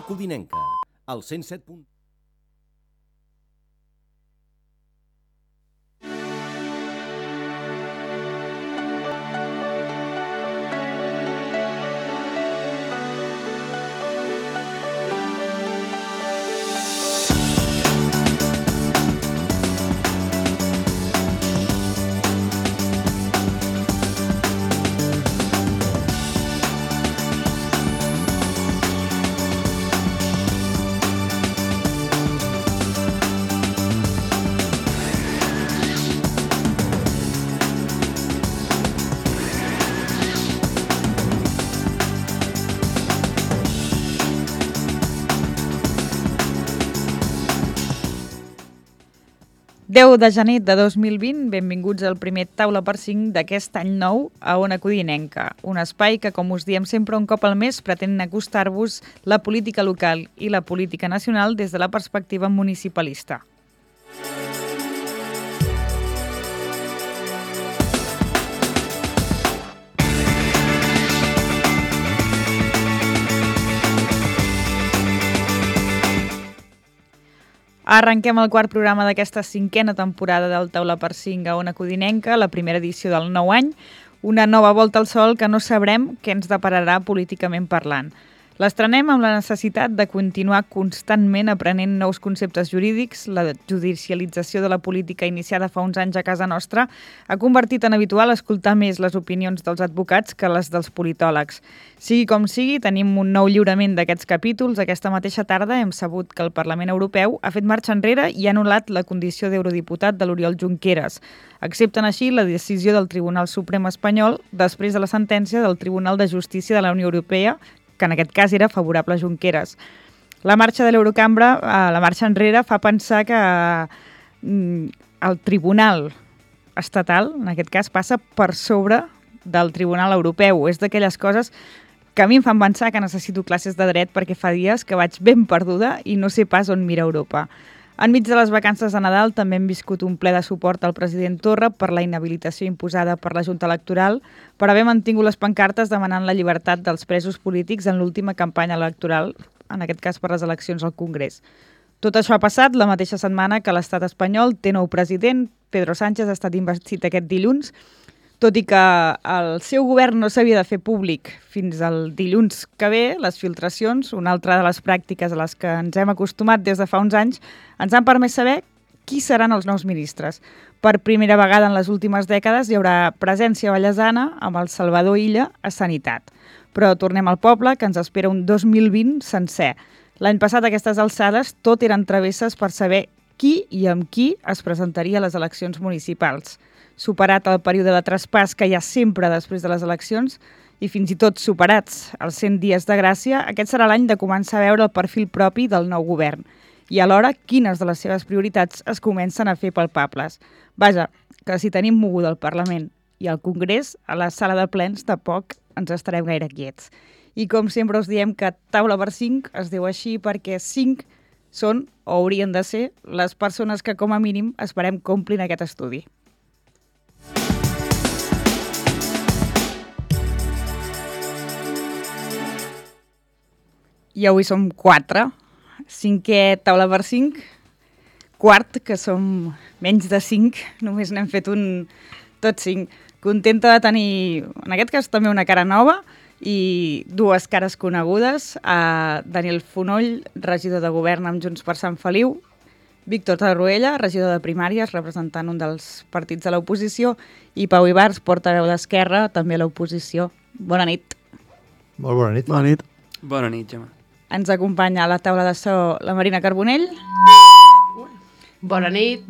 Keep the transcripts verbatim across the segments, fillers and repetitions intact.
Codinenca, al cent set punt... deu de gener de dos mil vint, benvinguts al primer Taula per cinc d'aquest any nou a Ona Codinenca, un espai que, com us diem sempre un cop al mes, pretén acostar-vos la política local i la política nacional des de la perspectiva municipalista. Arrenquem el quart programa d'aquesta cinquena temporada del Taula per cinc a Ona Codinenca, la primera edició del nou any, una nova volta al sol que no sabrem què ens depararà políticament parlant. L'estrenem amb la necessitat de continuar constantment aprenent nous conceptes jurídics. La judicialització de la política iniciada fa uns anys a casa nostra ha convertit en habitual escoltar més les opinions dels advocats que les dels politòlegs. Sigui com sigui, tenim un nou lliurament d'aquests capítols. Aquesta mateixa tarda hem sabut que el Parlament Europeu ha fet marxa enrere i ha anul·lat la condició d'eurodiputat de l'Oriol Junqueras. Accepten així la decisió del Tribunal Suprem espanyol després de la sentència del Tribunal de Justícia de la Unió Europea, que en aquest cas era favorable a Junqueras. La marxa de l'Eurocambra, la marxa enrere, fa pensar que el Tribunal estatal, en aquest cas, passa per sobre del Tribunal Europeu. És d'aquelles coses que a mi em fan pensar que necessito classes de dret perquè fa dies que vaig ben perduda i no sé pas on mira Europa. Enmig de les vacances de Nadal també hem viscut un ple de suport al president Torra per la inhabilitació imposada per la Junta Electoral per haver mantingut les pancartes demanant la llibertat dels presos polítics en l'última campanya electoral, en aquest cas per les eleccions al Congrés. Tot això ha passat la mateixa setmana que l'estat espanyol té nou president. Pedro Sánchez ha estat investit aquest dilluns, tot i que el seu govern no s'havia de fer públic fins al dilluns que ve. Les filtracions, una altra de les pràctiques a les que ens hem acostumat des de fa uns anys, ens han permès saber qui seran els nous ministres. Per primera vegada en les últimes dècades hi haurà presència vallesana amb el Salvador Illa a Sanitat. Però tornem al poble, que ens espera un dos mil vint sencer. L'any passat, a aquestes alçades, tot eren travesses per saber qui i amb qui es presentaria a les eleccions municipals. Superat el període de traspàs que hi ha sempre després de les eleccions i fins i tot superats els cent dies de gràcia, aquest serà l'any de començar a veure el perfil propi del nou govern i alhora quines de les seves prioritats es comencen a fer palpables. Vaja, que si tenim moguda el Parlament i el Congrés, a la sala de plens de poc ens estarem gaire quiets. I com sempre us diem que Taula per cinc es diu així perquè cinc són, o haurien de ser, les persones que com a mínim esperem que omplin aquest estudi. I avui som quatre, cinquè Taula per cinc, quart, que som menys de cinc, només n'hem fet un tot cinc. Contenta de tenir, en aquest cas també una cara nova i dues cares conegudes, a Daniel Fonoll, regidor de govern amb Junts per Sant Feliu, Víctor Tarruella, regidor de primàries, representant un dels partits de l'oposició, i Pau Ibars, portaveu d'Esquerra, també a l'oposició. Bona nit. Molt bona nit. Bona nit. Bona nit, Gemma. Ens acompanya a la taula de so la Marina Carbonell. Bona nit.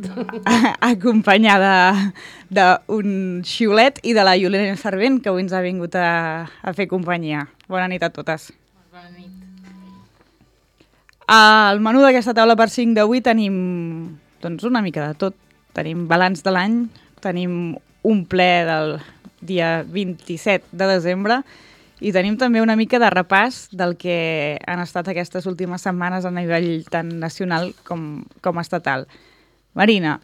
Acompanyada d'un xiulet i de la Iolena Servent, que avui ens ha vingut a, a fer companyia. Bona nit a totes. Bona nit. Al menú d'aquesta taula per cinc d'avui tenim doncs, una mica de tot. Tenim balanç de l'any, tenim un ple del dia vint-i-set de desembre i tenim també una mica de repàs del que han estat aquestes últimes setmanes a nivell tant nacional com, com estatal. Marina,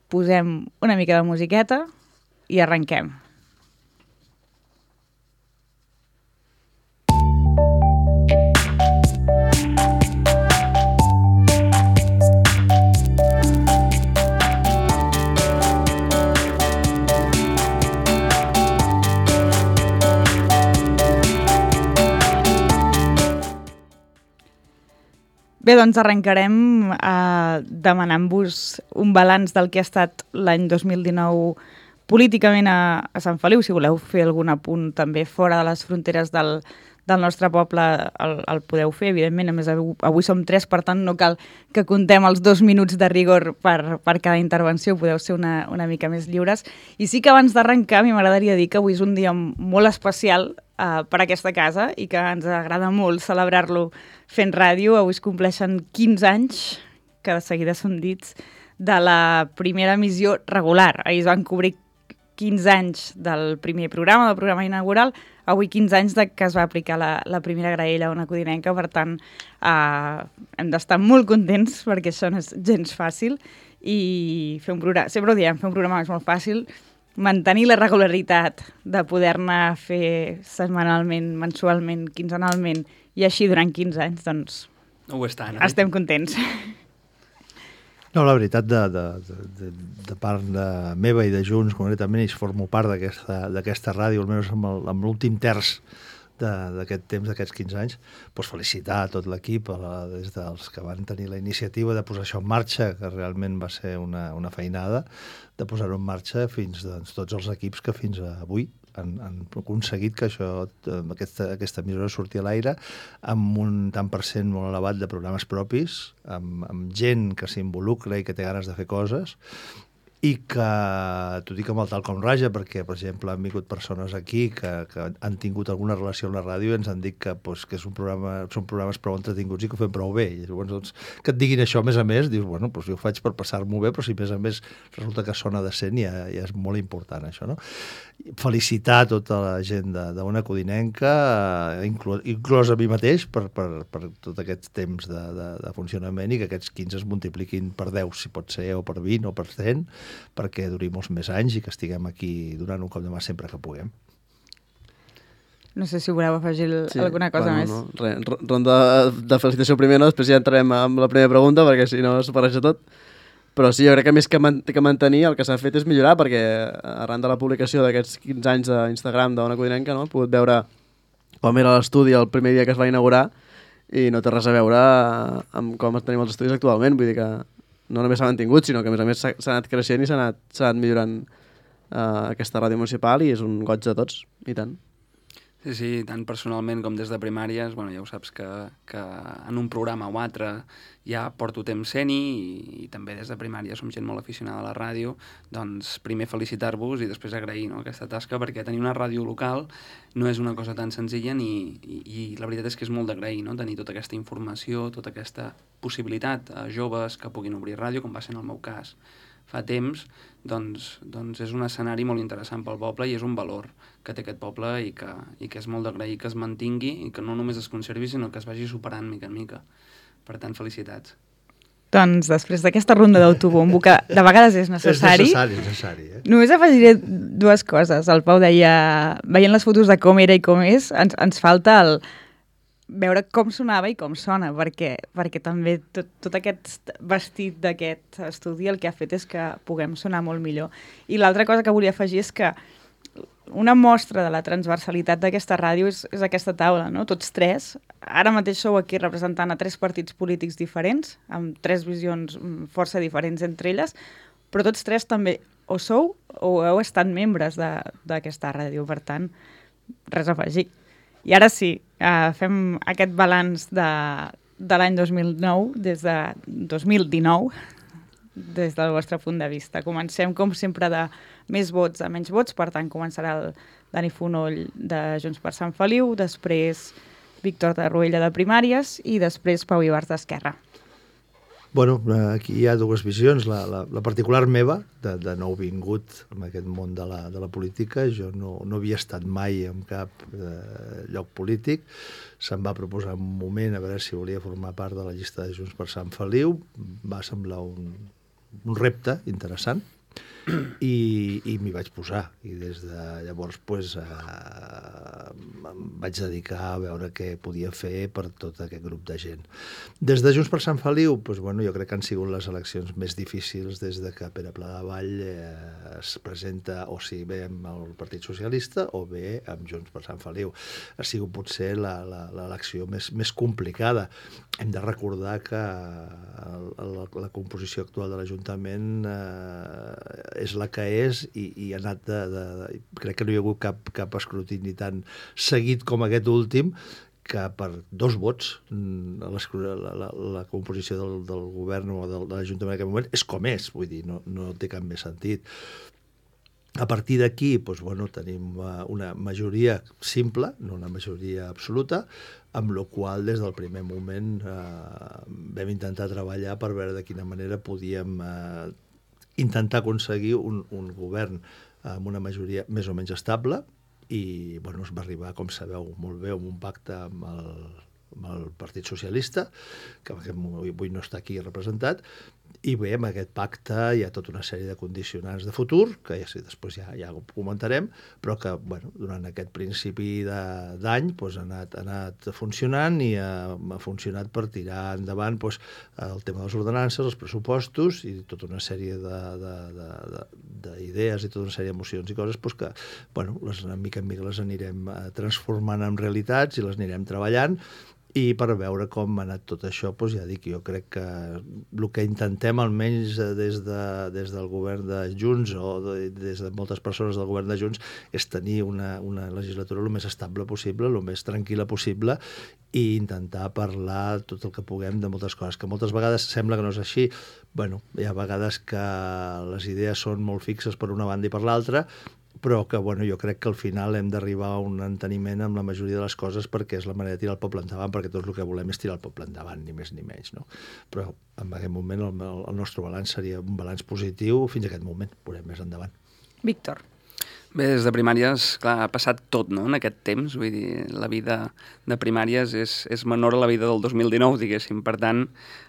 posem una mica de musiqueta i arrenquem. Bé, doncs arrencarem eh, demanant-vos un balanç del que ha estat l'any dos mil dinou políticament a, a Sant Feliu. Si voleu fer algun apunt també fora de les fronteres del, del nostre poble, el, el podeu fer, evidentment. A més, avui, avui som tres, per tant no cal que contem els dos minuts de rigor per, per cada intervenció, podeu ser una, una mica més lliures. I sí que abans d'arrencar, a mi m'agradaria dir que avui és un dia molt especial Uh, per aquesta casa i que ens agrada molt celebrar-lo fent ràdio. Avui es compleixen quinze anys, que de seguida són dits, de la primera emissió regular. Ahir es van cobrir quinze anys del primer programa, del programa inaugural, avui quinze anys de que es va aplicar la, la primera graella a Ona Codinenca, per tant uh, hem d'estar molt contents perquè això no és gens fàcil i fer un programa, sempre ho diem, fer un programa és molt fàcil, mantenir la regularitat de poder-ne fer setmanalment, mensualment, quinzenalment i així durant quinze anys, doncs ho estan, eh? Estem contents. No, la veritat, de, de, de, de part de meva i de Junts, concretament, ells formo part d'aquesta ràdio, almenys amb l'últim terç d'aquest temps, d'aquests quinze anys, doncs felicitar a tot l'equip, des dels que van tenir la iniciativa de posar això en marxa, que realment va ser una, una feinada, de posar-ho en marxa fins doncs, tots els equips que fins avui han, han aconseguit que això, aquesta, aquesta emissora surti a l'aire amb un tant per cent molt elevat de programes propis, amb, amb gent que s'involucra i que té ganes de fer coses, i que, t'ho dic amb el tal com raja, perquè, per exemple, han vingut persones aquí que, que han tingut alguna relació amb la ràdio i ens han dit que, pues, que és un programa, són programes prou entretinguts i que ho fem prou bé. I llavors, doncs, que et diguin això, a més a més, dius, bueno, doncs jo ho faig per passar-m'ho bé, però si a més a més resulta que sona decent, ja, ja és molt important, això, no? Felicitar tota la gent d'Ona Codinenca, inclòs, inclòs a mi mateix, per, per, per tot aquest temps de, de, de funcionament i que aquests quinze es multipliquin per deu, si pot ser, o per vint, o per cent, perquè duri molts més anys i que estiguem aquí donant un cop de mà sempre que puguem. No sé si voleu afegir sí, alguna cosa bueno, més. No. Re, ronda de felicitació primer, no? Després ja entrarem amb la primera pregunta, perquè si no s'ho barreja tot. Però sí, jo crec que més que, man que mantenir, el que s'ha fet és millorar, perquè arran de la publicació d'aquests quinze anys d'Instagram d'Ona Codinenca, no? He pogut veure com era l'estudi el primer dia que es va inaugurar i no té res a veure amb com tenim els estudis actualment. Vull dir que no només s'ha mantingut, sinó que a més a més s'ha anat creixent i s'ha anat, anat millorant uh, aquesta ràdio municipal i és un goig de tots, i tant. Sí, sí, tant personalment com des de primàries, bueno, ja ho saps que, que en un programa o altre ja porto temps sent-hi i, i també des de primària som gent molt aficionada a la ràdio, doncs primer felicitar-vos i després agrair, no, aquesta tasca, perquè tenir una ràdio local no és una cosa tan senzilla ni, i, i la veritat és que és molt d'agrair, no? Tenir tota aquesta informació, tota aquesta possibilitat a joves que puguin obrir ràdio, com va ser en el meu cas fa temps, doncs, doncs és un escenari molt interessant pel poble i és un valor que té aquest poble i que, i que és molt d'agrair que es mantingui i que no només es conservi, sinó que es vagi superant mica en mica. Per tant, felicitats. Doncs després d'aquesta ronda d'autobombo, que de vegades és necessari... És necessari, és necessari, eh? Només afegiré dues coses. El Pau deia, veient les fotos de com era i com és, ens, ens falta el veure com sonava i com sona, perquè, perquè també tot, tot aquest vestit d'aquest estudi el que ha fet és que puguem sonar molt millor. I l'altra cosa que volia afegir és que una mostra de la transversalitat d'aquesta ràdio és, és aquesta taula, no? Tots tres. Ara mateix sou aquí representant a tres partits polítics diferents, amb tres visions força diferents entre elles, però tots tres també o sou o heu estat membres d'aquesta ràdio, per tant, res a afegir. I ara sí, uh, fem aquest balanç de, de l'any dos mil nou, des de dos mil dinou, des del vostre punt de vista. Comencem, com sempre, de més vots a menys vots, per tant, començarà el Dani Fonoll de Junts per Sant Feliu, després Víctor de Ruella de Primàries i després Pau Ibars d'Esquerra. Bueno, aquí hi ha dues visions. La, la, la particular meva, de, de nou vingut en aquest món de la, de la política, jo no, no havia estat mai en cap eh, lloc polític. Se'm va proposar un moment a veure si volia formar part de la llista de Junts per Sant Feliu. Va semblar un, un repte interessant i, i m'hi vaig posar. I des de llavors, pues, eh, em vaig dedicar a veure què podia fer per tot aquest grup de gent. Des de Junts per Sant Feliu, doncs, bueno, jo crec que han sigut les eleccions més difícils des de que Pere Pladevall eh, es presenta o si bé amb el Partit Socialista o bé amb Junts per Sant Feliu. Ha sigut potser l'elecció més, més complicada. Hem de recordar que la, la composició actual de l'Ajuntament eh, és la que és i, i ha anat de, de, de... Crec que no hi ha hagut cap, cap escrutini tan seguit com aquest últim, que per dos vots la, la, la composició del, del govern o del, de l'Ajuntament en aquest moment és com és, vull dir, no, no té cap més sentit. A partir d'aquí, doncs, bueno, tenim una majoria simple, no una majoria absoluta, amb la qual des del primer moment eh, vam intentar treballar per veure de quina manera podíem eh, intentar aconseguir un, un govern amb una majoria més o menys estable i bueno, es va arribar, com sabeu molt bé, amb un pacte amb el, amb el Partit Socialista, que avui no està aquí representat, i bé, amb aquest pacte hi ha tota una sèrie de condicionants de futur, que ja sí, després ja, ja ho comentarem, però que bueno, durant aquest principi d'any doncs, ha, anat, ha anat funcionant i ha, ha funcionat per tirar endavant doncs, el tema de les ordenances, els pressupostos i tota una sèrie d'idees i tota una sèrie d'emocions i coses doncs, que bueno, les, mica en mica les anirem transformant en realitats i les anirem treballant. I per veure com ha anat tot això, doncs ja dic, jo crec que el que intentem almenys des, de, des del govern de Junts o de, des de moltes persones del govern de Junts és tenir una, una legislatura el més estable possible, el més tranquil·la possible i intentar parlar tot el que puguem de moltes coses, que moltes vegades sembla que no és així. Bueno, hi ha vegades que les idees són molt fixes per una banda i per l'altra, però que bueno, jo crec que al final hem d'arribar a un enteniment amb la majoria de les coses perquè és la manera de tirar el poble endavant, perquè tot el que volem és tirar el poble endavant, ni més ni menys. No? Però en aquest moment el, el nostre balanç seria un balanç positiu fins a aquest moment, veurem més endavant. Víctor. Bé, des de primàries, clar, ha passat tot, no?, en aquest temps. Vull dir, la vida de primàries és, és menor a la vida del dos mil dinou, diguéssim. Per tant,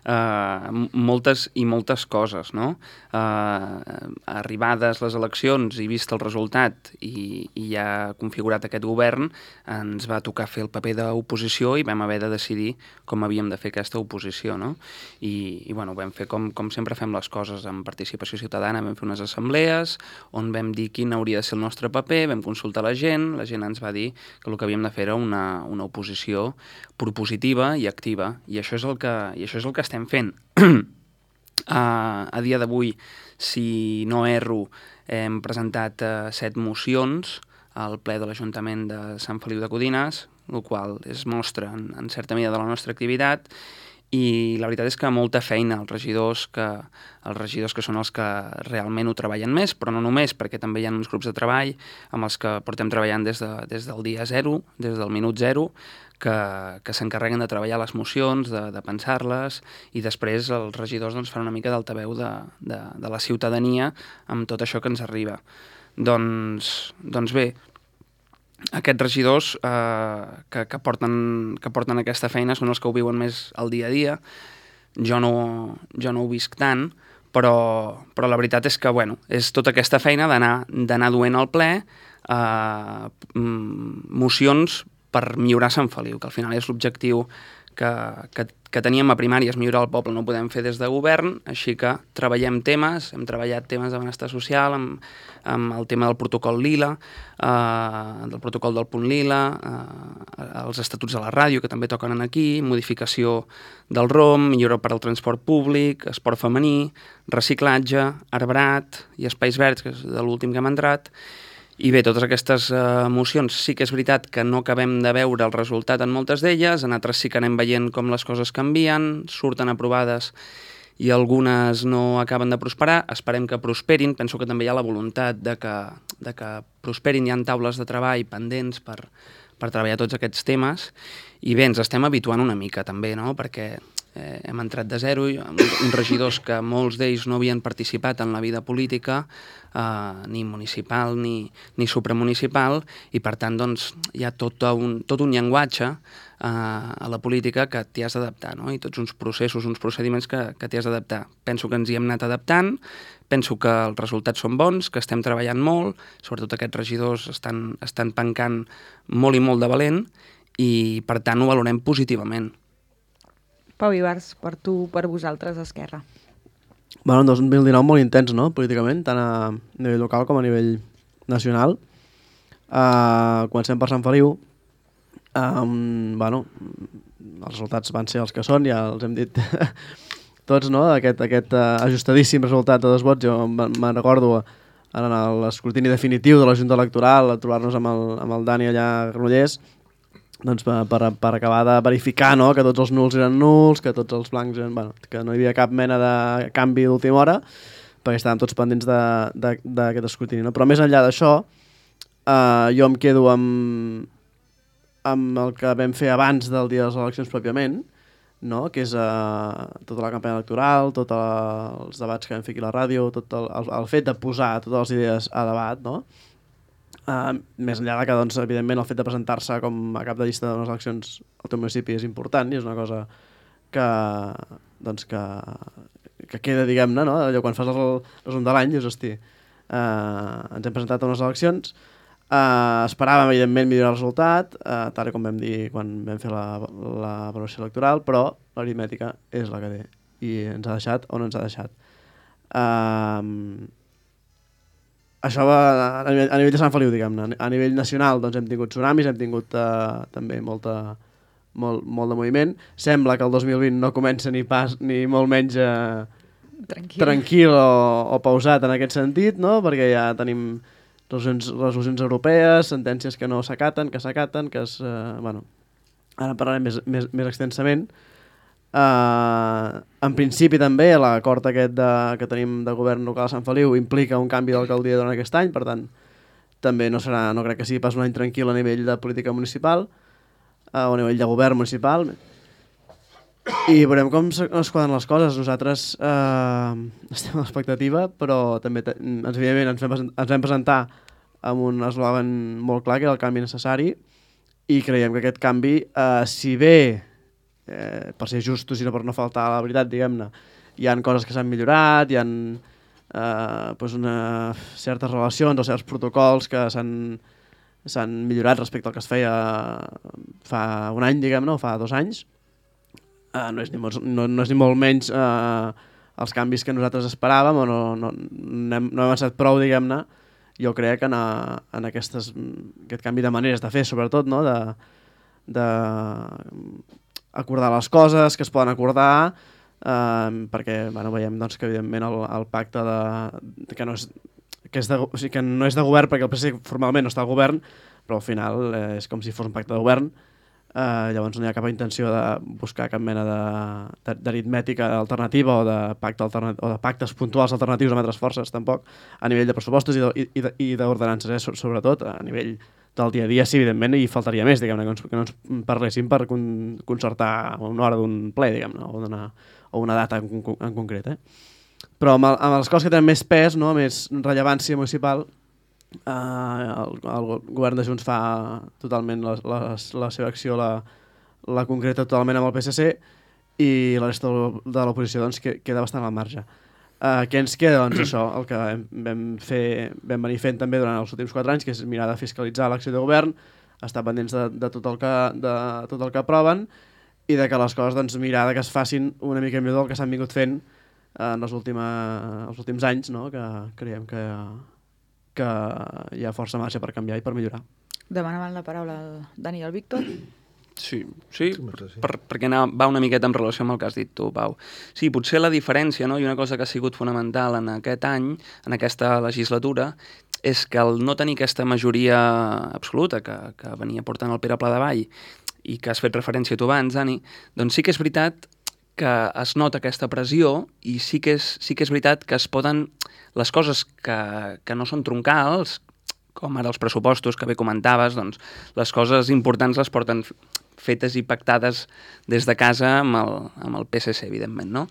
eh, moltes i moltes coses, no? Eh, arribades les eleccions i vist el resultat i, i ja configurat aquest govern, ens va tocar fer el paper d'oposició i vam haver de decidir com havíem de fer aquesta oposició, no? I, i bueno, vam fer com, com sempre fem les coses amb participació ciutadana, vam fer unes assemblees on vam dir quin hauria de ser el nostre paper, vam consultar la gent, la gent ens va dir que el que havíem de fer era una, una oposició propositiva i activa, i això és el que, i això és el que estem fent. a, a dia d'avui, si no erro, hem presentat uh, set mocions al ple de l'Ajuntament de Sant Feliu de Codines, el qual es mostra en, en certa mida de la nostra activitat, i la veritat és que molta feina els regidors que, els regidors que són els que realment ho treballen més, però no només, perquè també hi ha uns grups de treball amb els que portem treballant des, de, des del dia zero, des del minut zero, que, que s'encarreguen de treballar les mocions, de, de pensar-les, i després els regidors doncs, fan una mica d'altaveu de, de, de la ciutadania amb tot això que ens arriba. Doncs, doncs bé, aquests regidors eh, que, que, porten, que porten aquesta feina són els que ho viuen més al dia a dia. Jo no, jo no ho visc tant, però, però la veritat és que bueno, és tota aquesta feina d'anar duent al ple eh, mocions per millorar Sant Feliu, que al final és l'objectiu que, que, que teníem a primàries, millorar el poble, no ho podem fer des de govern, així que treballem temes, hem treballat temes de benestar social, amb, amb el tema del protocol Lila, eh, del protocol del punt Lila, eh, els estatuts de la ràdio, que també toquen aquí, modificació del R O M, millora per al transport públic, esport femení, reciclatge, arbrat i espais verds, que és de l'últim que hem entrat. I bé, totes aquestes uh, mocions sí que és veritat que no acabem de veure el resultat en moltes d'elles, en altres sí que anem veient com les coses canvien, surten aprovades i algunes no acaben de prosperar. Esperem que prosperin, penso que també hi ha la voluntat de que, de que prosperin, hi ha taules de treball pendents per, per treballar tots aquests temes, i bé, ens estem habituant una mica també, no?, perquè eh, hem entrat de zero, uns regidors que molts d'ells no havien participat en la vida política, eh, ni municipal ni, ni supramunicipal, i per tant doncs, hi ha tot un, tot un llenguatge eh, a la política que t'hi has d'adaptar, no? I tots uns processos, uns procediments que, que t'hi has d'adaptar. Penso que ens hi hem anat adaptant, penso que els resultats són bons, que estem treballant molt, sobretot aquests regidors estan, estan pencant molt i molt de valent, i per tant ho valorem positivament. Pau Ibars, per tu, per vosaltres, Esquerra. Bueno, un dos mil dinou molt intens, no?, políticament, tant a nivell local com a nivell nacional. Uh, comencem per Sant Feliu. Um, bueno, els resultats van ser els que són, ja els hem dit tots, no?, aquest, aquest uh, ajustadíssim resultat de dos vots. Jo me'n recordo en l'escrutini definitiu de la Junta Electoral, a trobar-nos amb el, amb el Dani allà a Granollers, doncs per, per, per acabar de verificar, no?, que tots els nuls eren nuls, que tots els blancs eren, bueno, que no hi havia cap mena de canvi d'última hora, perquè estàvem tots pendents d'aquest escrutini, no? Però més enllà d'això, eh, jo em quedo amb, amb el que vam fer abans del dia de les eleccions pròpiament, no?, que és eh, tota la campanya electoral, tots els debats que vam fer aquí a la ràdio, tot el, el, el fet de posar totes les idees a debat, no?, Uh, més enllà de que, doncs, evidentment, el fet de presentar-se com a cap de llista d'unes eleccions al teu municipi és important i és una cosa que, doncs, que, que queda, diguem-ne, no? Allò, quan fas el resum de l'any, dius, hosti, uh, ens hem presentat a unes eleccions, uh, esperàvem, evidentment, millorar el resultat, uh, tal com vam dir quan vam fer la, la valoració electoral, però l'aritmètica és la que té i ens ha deixat on ens ha deixat. Uh, Això va a nivell, a nivell de Sant Feliu, diguem-ne. A nivell nacional, doncs, hem tingut tsunamis, hem tingut uh, també molta, molt, molt de moviment. Sembla que el dos mil vint no comença ni pas ni molt menys uh, tranquil, tranquil o, o pausat en aquest sentit, no?, perquè ja tenim resolucions, resolucions europees, sentències que no s'acaten, que s'acaten, que es... Uh, bueno, ara en parlarem més, més, més extensament. Uh, en principi també l'acord aquest de, que tenim de govern local a Sant Feliu implica un canvi d'alcaldia durant aquest any, per tant també no serà, no crec que sigui pas un any tranquil a nivell de política municipal uh, o a nivell de govern municipal, i veurem com es quadren les coses. Nosaltres uh, estem a l'expectativa, però també te, ens, evidentment ens vam, ens vam presentar amb un eslògan molt clar, que era el canvi necessari, i creiem que aquest canvi, uh, si bé Eh, per ser justos i no per no faltar a la veritat, diguem-ne, hi ha coses que s'han millorat, hi ha eh, pues una, certes relacions o certs protocols que s'han millorat respecte al que es feia fa un any, diguem-ne, o fa dos anys. Eh, no, és ni molt, no, no és ni molt menys eh, els canvis que nosaltres esperàvem, o no, no, no, hem, no hem avançat prou, diguem-ne, jo crec, en, a, en aquestes, aquest canvi de maneres de fer, sobretot, no?, de... de acordar les coses que es poden acordar, eh, perquè bueno, veiem, doncs, que evidentment el, el pacte de, que, no és, que, és de, o sigui, que no és de govern, perquè el P S C formalment no està al govern, però al final eh, és com si fos un pacte de govern, eh, llavors no hi ha cap intenció de buscar cap mena d'aritmètica alternativa o de, pacte alternat o de pactes puntuals alternatius amb altres forces, tampoc, a nivell de pressupostos i d'ordenances, eh, sobretot a nivell del dia a dia, sí, evidentment, i faltaria més, diguem-ne, que, que no ens parléssim per con concertar una hora d'un ple, diguem-ne, o, o una data en, en concret, eh? Però amb, el, amb les coses que tenen més pes, no?, més rellevància municipal, eh, el, el govern de Junts fa totalment la, la, la seva acció, la, la concreta totalment amb el P S C, i la resta de l'oposició, doncs, que, queda bastant al marge. Uh, què ens queda? Doncs això, el que vam, fer, vam venir fent també durant els últims quatre anys, que és mirar de fiscalitzar l'acció de govern, estar pendents de, de, tot el que, de tot el que aproven, i de que les coses, doncs, mirar de que es facin una mica millor del que s'han vingut fent uh, en els, última, els últims anys, no?, que creiem que, que hi ha força marge per canviar i per millorar. Demanaven la paraula el Dani i el Víctor. Sí, sí, per, perquè va una miqueta en relació amb el que has dit tu, Pau. Sí, potser la diferència, no?, i una cosa que ha sigut fonamental en aquest any, en aquesta legislatura, és que el no tenir aquesta majoria absoluta que, que venia portant el Pere Pladevall i que has fet referència tu abans, Dani, doncs sí que és veritat que es nota aquesta pressió i sí que és, sí que és veritat que es poden... Les coses que, que no són troncals, com ara els pressupostos que bé comentaves, doncs les coses importants les porten fetes i pactades des de casa amb el, amb el P S C, evidentment, no?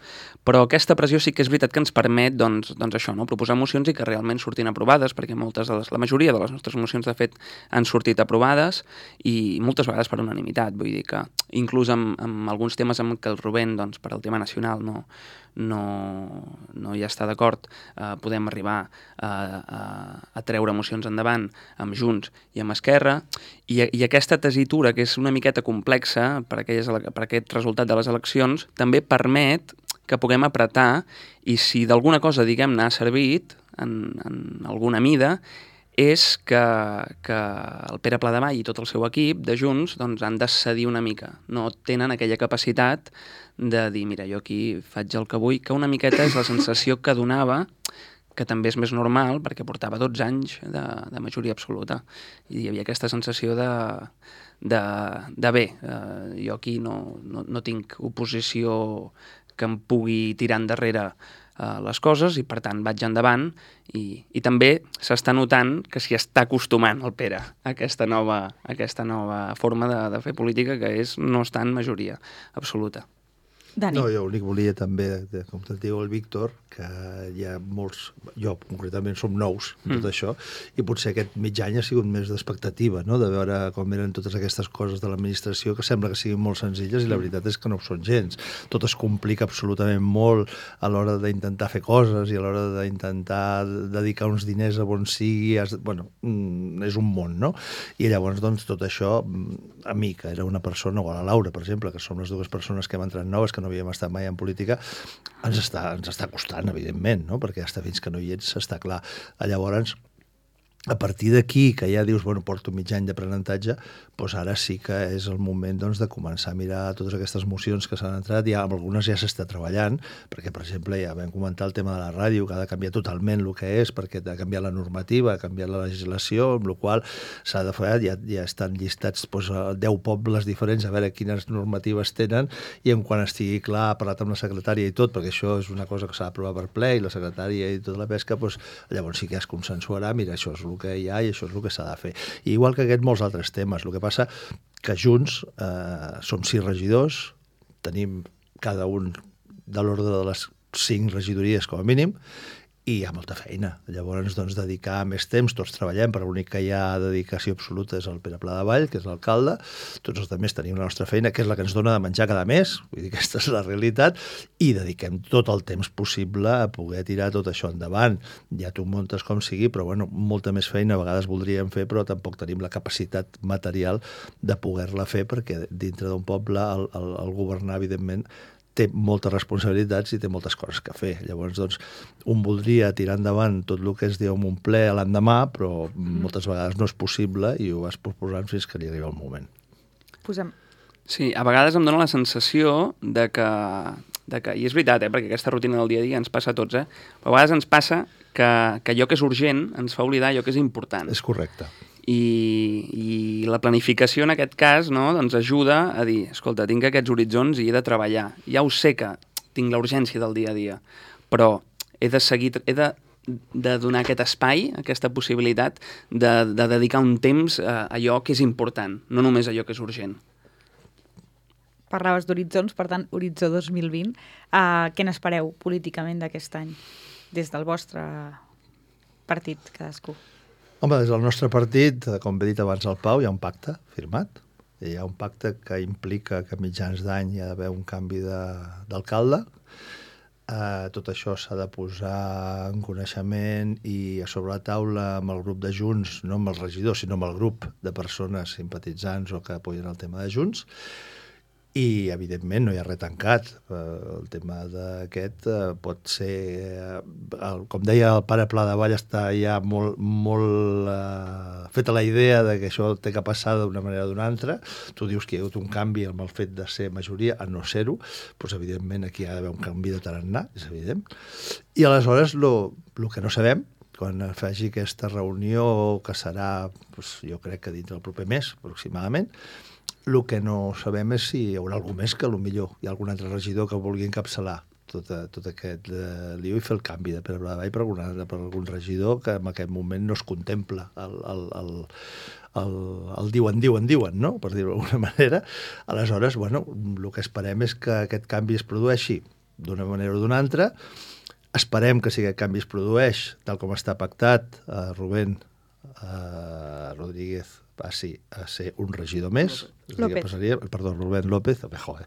Però aquesta pressió sí que és veritat que ens permet, doncs, doncs això, no? Proposar mocions i que realment surtin aprovades, perquè moltes de les, la majoria de les nostres mocions, de fet, han sortit aprovades i moltes vegades per unanimitat. Vull dir que inclús amb, amb alguns temes amb què el Rubén, doncs, per al tema nacional, no, no, no hi està d'acord, eh, podem arribar a, a, a treure mocions endavant amb Junts i amb Esquerra, i, i aquesta tesitura, que és una miqueta complexa per, aquelles, per aquest resultat de les eleccions, també permet que puguem apretar, i si d'alguna cosa, diguem-ne, ha servit en, en alguna mida, és que, que el Pere Pladevall i tot el seu equip de Junts doncs, han de cedir una mica. No tenen aquella capacitat de dir, mira, jo aquí faig el que vull, que una miqueta és la sensació que donava, que també és més normal, perquè portava dotze anys de, de majoria absoluta. I hi havia aquesta sensació de, de, de bé, eh, jo aquí no, no, no tinc oposició que em pugui tirar endarrere uh, les coses i, per tant, vaig endavant i, i també s'està notant que s'hi està acostumant el Pere a aquesta nova, a aquesta nova forma de, de fer política, que és no estar en majoria absoluta. Dani. No, jo l'únic volia també, de, com et diu el Víctor, que hi ha molts, jo concretament som nous en tot mm. això, i potser aquest mig any ha sigut més d'expectativa, no?, de veure com eren totes aquestes coses de l'administració que sembla que siguin molt senzilles i la veritat és que no ho són gens. Tot es complica absolutament molt a l'hora d'intentar fer coses i a l'hora d'intentar dedicar uns diners a on sigui, has, bueno, és un món, no? I llavors, doncs, tot això, a mi, que era una persona, o a la Laura, per exemple, que som les dues persones que hem entrat noves, que no havíem estat mai en política, ens està, ens està costant, evidentment, no? Perquè hasta fins que no hi ets està clar. Llavors, a partir d'aquí, que ja dius, bueno, porto mig any d'aprenentatge, doncs ara sí que és el moment, doncs, de començar a mirar totes aquestes mocions que s'han entrat, ja amb algunes ja s'està treballant, perquè, per exemple, ja vam comentar el tema de la ràdio, que ha de canviar totalment el que és, perquè ha de canviar la normativa, ha canviat la legislació, amb la qual s'ha de fer, ja, ja estan llistats doncs, deu pobles diferents, a veure quines normatives tenen, i en quan estigui clar, ha parlat amb la secretària i tot, perquè això és una cosa que s'ha d'aprovar per ple, i la secretària i tota la pesca, doncs, llavors sí que es consensuarà, mira, això és el que hi ha i això és el que s'ha de fer. I igual que aquests molts altres temes. El que passa que junts eh, som sis regidors, tenim cada un de l'ordre de les cinc regidories com a mínim, i hi ha molta feina. Llavors, doncs, dedicar més temps, tots treballem, però l'únic que hi ha dedicació absoluta és el Pere Pladevall, que és l'alcalde, tots els altres tenim la nostra feina, que és la que ens dona de menjar cada mes, vull dir que aquesta és la realitat, i dediquem tot el temps possible a poder tirar tot això endavant. Ja t'ho muntes com sigui, però bueno, molta més feina a vegades voldríem fer, però tampoc tenim la capacitat material de poder-la fer, perquè dintre d'un poble el, el, el governar, evidentment, té moltes responsabilitats i té moltes coses que fer. Llavors, doncs, un voldria tirar endavant tot el que es diu en un ple a l'endemà, però moltes vegades no és possible i ho vas proposant fins que li arriba el moment. Posem... Sí, a vegades em dóna la sensació de que, de que i és veritat, eh, perquè aquesta rutina del dia a dia ens passa a tots, eh, però a vegades ens passa que, que allò que és urgent ens fa oblidar allò que és important. És correcte. I, i la planificació en aquest cas, no, doncs ajuda a dir, escolta, tinc aquests horitzons i he de treballar. Ja ho sé que tinc la urgència del dia a dia, però he de seguir, he de, de donar aquest espai, aquesta possibilitat de, de dedicar un temps a allò que és important, no només allò que és urgent. Parlaves d'horitzons, per tant, horitzó dos mil vint. Uh, què n'espereu políticament d'aquest any, des del vostre partit, cadascú? Home, des del nostre partit, com he dit abans al Pau, hi ha un pacte firmat. Hi ha un pacte que implica que a mitjans d'any hi ha d'haver un canvi d'alcalde. Eh, tot això s'ha de posar en coneixement i a sobre la taula amb el grup de Junts, no amb els regidors, sinó amb el grup de persones simpatitzants o que apoyen el tema de Junts. I, evidentment, no hi ha res tancat. El tema d'aquest pot ser... Com deia el pare Pladevall, està ja molt, molt uh, feta la idea de que això té que passar d'una manera o d'una altra. Tu dius que hi ha hagut un canvi amb el fet de ser majoria a no ser-ho, doncs, evidentment, aquí ha d'haver un canvi de tarannà, és evident. I, aleshores, el que no sabem, quan faci aquesta reunió, que serà, doncs, jo crec que dintre del proper mes, aproximadament, el que no sabem és si hi haurà algú més que potser hi ha algun altre regidor que vulgui encapçalar tot, tot aquest eh, lío i fer el canvi de Pere Pladevall per, alguna, per algun regidor que en aquest moment no es contempla el, el, el, el, el diuen, diuen, diuen, no? Per dir-ho d'alguna manera. Aleshores, bueno, el que esperem és que aquest canvi es produeixi d'una manera o d'una altra. Esperem que si aquest canvi es produeix, tal com està pactat, eh, Rubén eh, Rodríguez passi a ser un regidor més. López. Passaria, perdó, Rubén López, joder,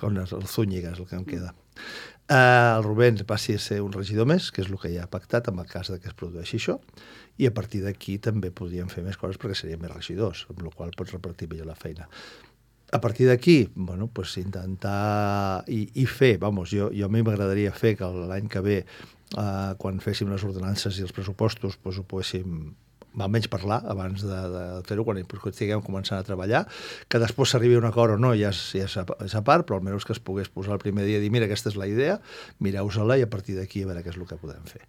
con el Zúñiga és el que em queda. Eh, el Rubén passi a ser un regidor més, que és el que ja ha pactat en el cas de que es produeixi això, i a partir d'aquí també podríem fer més coses perquè serien més regidors, amb la qual pots repartir millor la feina. A partir d'aquí, bueno, pues intentar i, i fer, vamos, jo, jo a mi m'agradaria fer que l'any que ve, eh, quan féssim les ordenances i els pressupostos, pues ho poguéssim almenys parlar abans de, de fer-ho, quan estiguem començant a treballar, que després s'arribi a un acord o no, ja és, ja és, a, és a part, però almenys que es pogués posar el primer dia i dir, mira, aquesta és la idea, mireu-se-la i a partir d'aquí a veure què és el que podem fer.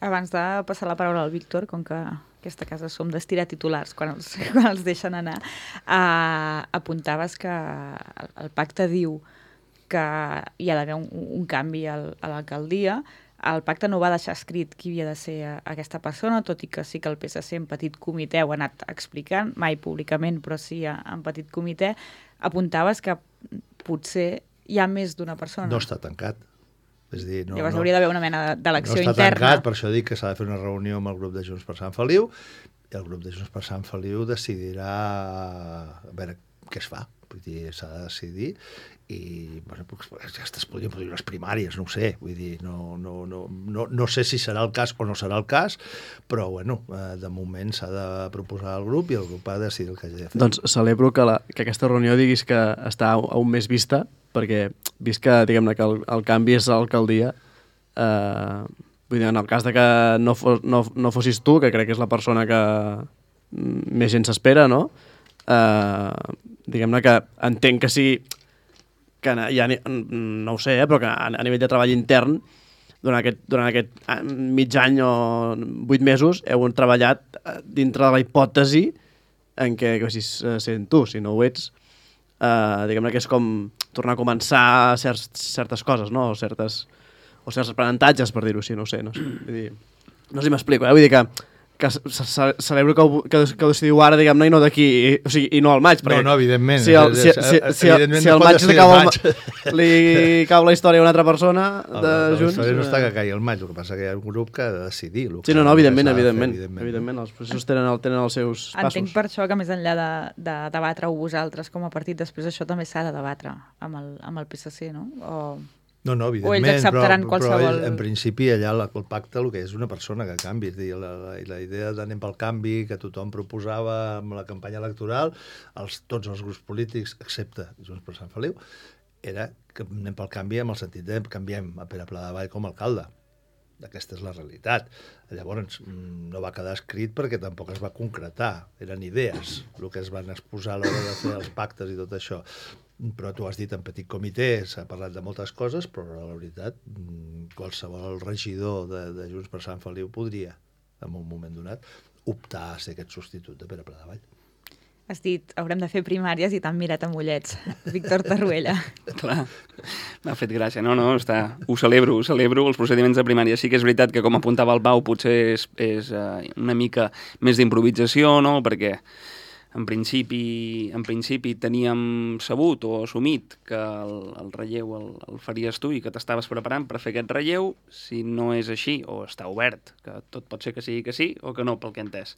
Abans de passar la paraula al Víctor, com que aquesta casa som d'estirar titulars quan els, quan els deixen anar, eh, apuntaves que el, el pacte diu que hi ha d'haver un, un canvi al, a l'alcaldia. El pacte no va deixar escrit qui havia de ser aquesta persona, tot i que sí que el P S C en petit comitè ho ha anat explicant, mai públicament, però sí en petit comitè. Apuntaves que potser hi ha més d'una persona. No està tancat. És dir, no, Llavors no, hauria d'haver una mena d'elecció interna. No està interna. tancat, per això dic que s'ha de fer una reunió amb el grup de Junts per Sant Feliu i el grup de Junts per Sant Feliu decidirà a veure què es fa. Vull dir, s'ha de decidir i bueno, aquestes podrien produir les primàries, no ho sé, vull dir, no, no, no, no, no sé si serà el cas o no serà el cas, però bueno, de moment s'ha de proposar al grup i el grup ha de decidir el que hagi de fer. Doncs celebro que, la, que aquesta reunió diguis que està a un mes vista, perquè vist que, diguem-ne, que el, el canvi és a l'alcaldia, eh, vull dir, en el cas de que no, fos, no, no fossis tu, que crec que és la persona que més gent s'espera, no? Eh, diguem-ne que entenc que sí, que ja no ho sé, eh, però que a, a nivell de treball intern, durant aquest, durant aquest mig any o vuit mesos, heu treballat dintre de la hipòtesi en què, que si sent tu, si no ho ets, eh, diguem-ne que és com tornar a començar certs, certes coses, no? O, certes, o certs aprenentatges, per dir-ho així, no ho sé. No sé, vull dir, no sé si m'explico, eh? Vull dir que que celebro que ho, que, que ho decidiu ara, diguem-ne, i no d'aquí, o sigui, i no al maig. No, no, evidentment. Si el, si, si, si, si, si el maig, li cau, el, li cau la història a una altra persona de la, Junts... La història no està que caigui el maig, el que passa que hi ha un grup que ha de decidir. Sí, no, no, evidentment, evidentment, fer, evidentment. evidentment. Els processos tenen, el, tenen els seus passos. Entenc per això que més enllà de, de debatre-ho vosaltres com a partit, després això també s'ha de debatre amb el, amb el P S C, no? O... No, no, evidentment, o ells acceptaran però, qualsevol... però ells, en principi allà el pacte el que és una persona que canvi, és dir, la, la, la idea d'anem pel canvi que tothom proposava amb la campanya electoral, els, tots els grups polítics, excepte Junts per Sant Feliu, era que anem pel canvi amb el sentit de canviem a Pere Pla de Vall com a alcalde. Aquesta és la realitat. Llavors, no va quedar escrit perquè tampoc es va concretar. Eren idees, el que es van exposar a l'hora de fer els pactes i tot això. Però tu has dit en petit comitè, s'ha parlat de moltes coses, però la veritat, qualsevol regidor de, de Junts per Sant Feliu podria, en un moment donat, optar a ser aquest substitut de Pere Pla de Vall. Has dit, haurem de fer primàries i t'han mirat amb ullets. Víctor Tarruella. Clar, m'ha fet gràcia. No, no, està... ho celebro, ho celebro. Els procediments de primària sí que és veritat que, com apuntava el Pau, potser és, és uh, una mica més d'improvisació, no?, perquè en principi, en principi teníem sabut o assumit que el, el relleu el, el faries tu i que t'estaves preparant per fer aquest relleu. Si no és així, o està obert, que tot pot ser que sigui que sí o que no, pel que he entès.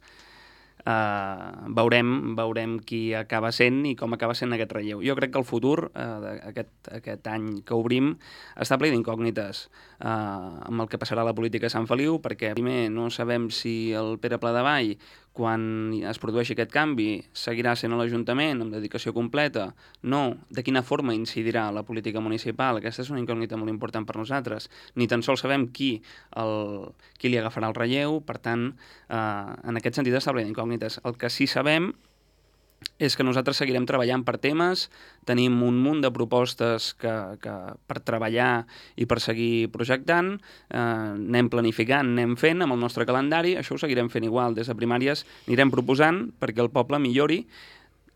Uh, veurem, veurem qui acaba sent i com acaba sent aquest relleu. Jo crec que el futur, uh, aquest, aquest any que obrim, està ple d'incògnites uh, amb el que passarà a la política a Sant Feliu, perquè primer no sabem si el Pere Pla de Vall, quan es produeixi aquest canvi, seguirà sent a l'Ajuntament amb dedicació completa, no, de quina forma incidirà la política municipal. Aquesta és una incògnita molt important per nosaltres. Ni tan sols sabem qui, el, qui li agafarà el relleu, per tant, eh, en aquest sentit està ple d'incògnites. El que sí sabem és que nosaltres seguirem treballant per temes, tenim un munt de propostes que, que per treballar i per seguir projectant, eh, anem planificant, anem fent amb el nostre calendari, això ho seguirem fent igual. Des de primàries anirem proposant perquè el poble millori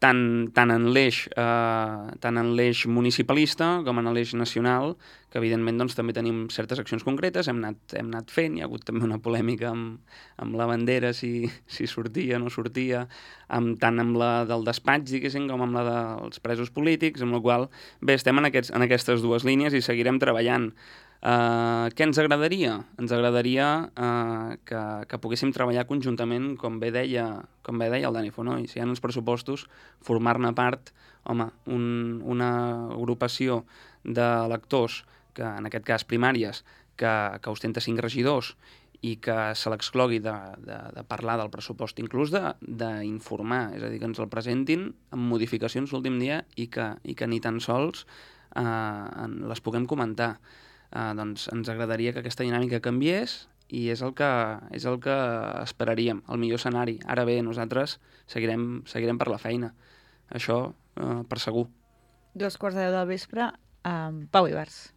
tant, tant en l'eix eh, tant en l'eix municipalista com en l'eix nacional, que evidentment doncs, també tenim certes accions concretes, hem anat, hem anat fent, hi ha hagut també una polèmica amb, amb la bandera, si, si sortia o no sortia, amb, tant amb la del despatx, diguéssim, com amb la dels presos polítics, amb la qual bé, estem en, aquests, en aquestes dues línies i seguirem treballant. Uh, què ens agradaria? Ens agradaria uh, que, que poguéssim treballar conjuntament, com bé deia, com bé deia el Dani Fonoll, si hi ha uns pressupostos, formar-ne part, home, un, una agrupació d'electors, que en aquest cas primàries, que, que ostenta cinc regidors i que se l'exclogui de, de, de parlar del pressupost, inclús d'informar, és a dir, que ens el presentin amb modificacions l'últim dia i que, i que ni tan sols uh, les puguem comentar. Uh, doncs ens agradaria que aquesta dinàmica canviés i és el que, és el que esperaríem, el millor escenari. Ara bé, nosaltres seguirem, seguirem per la feina. Això uh, per segur. Dos quarts de deu del vespre, um, Pau Ibars.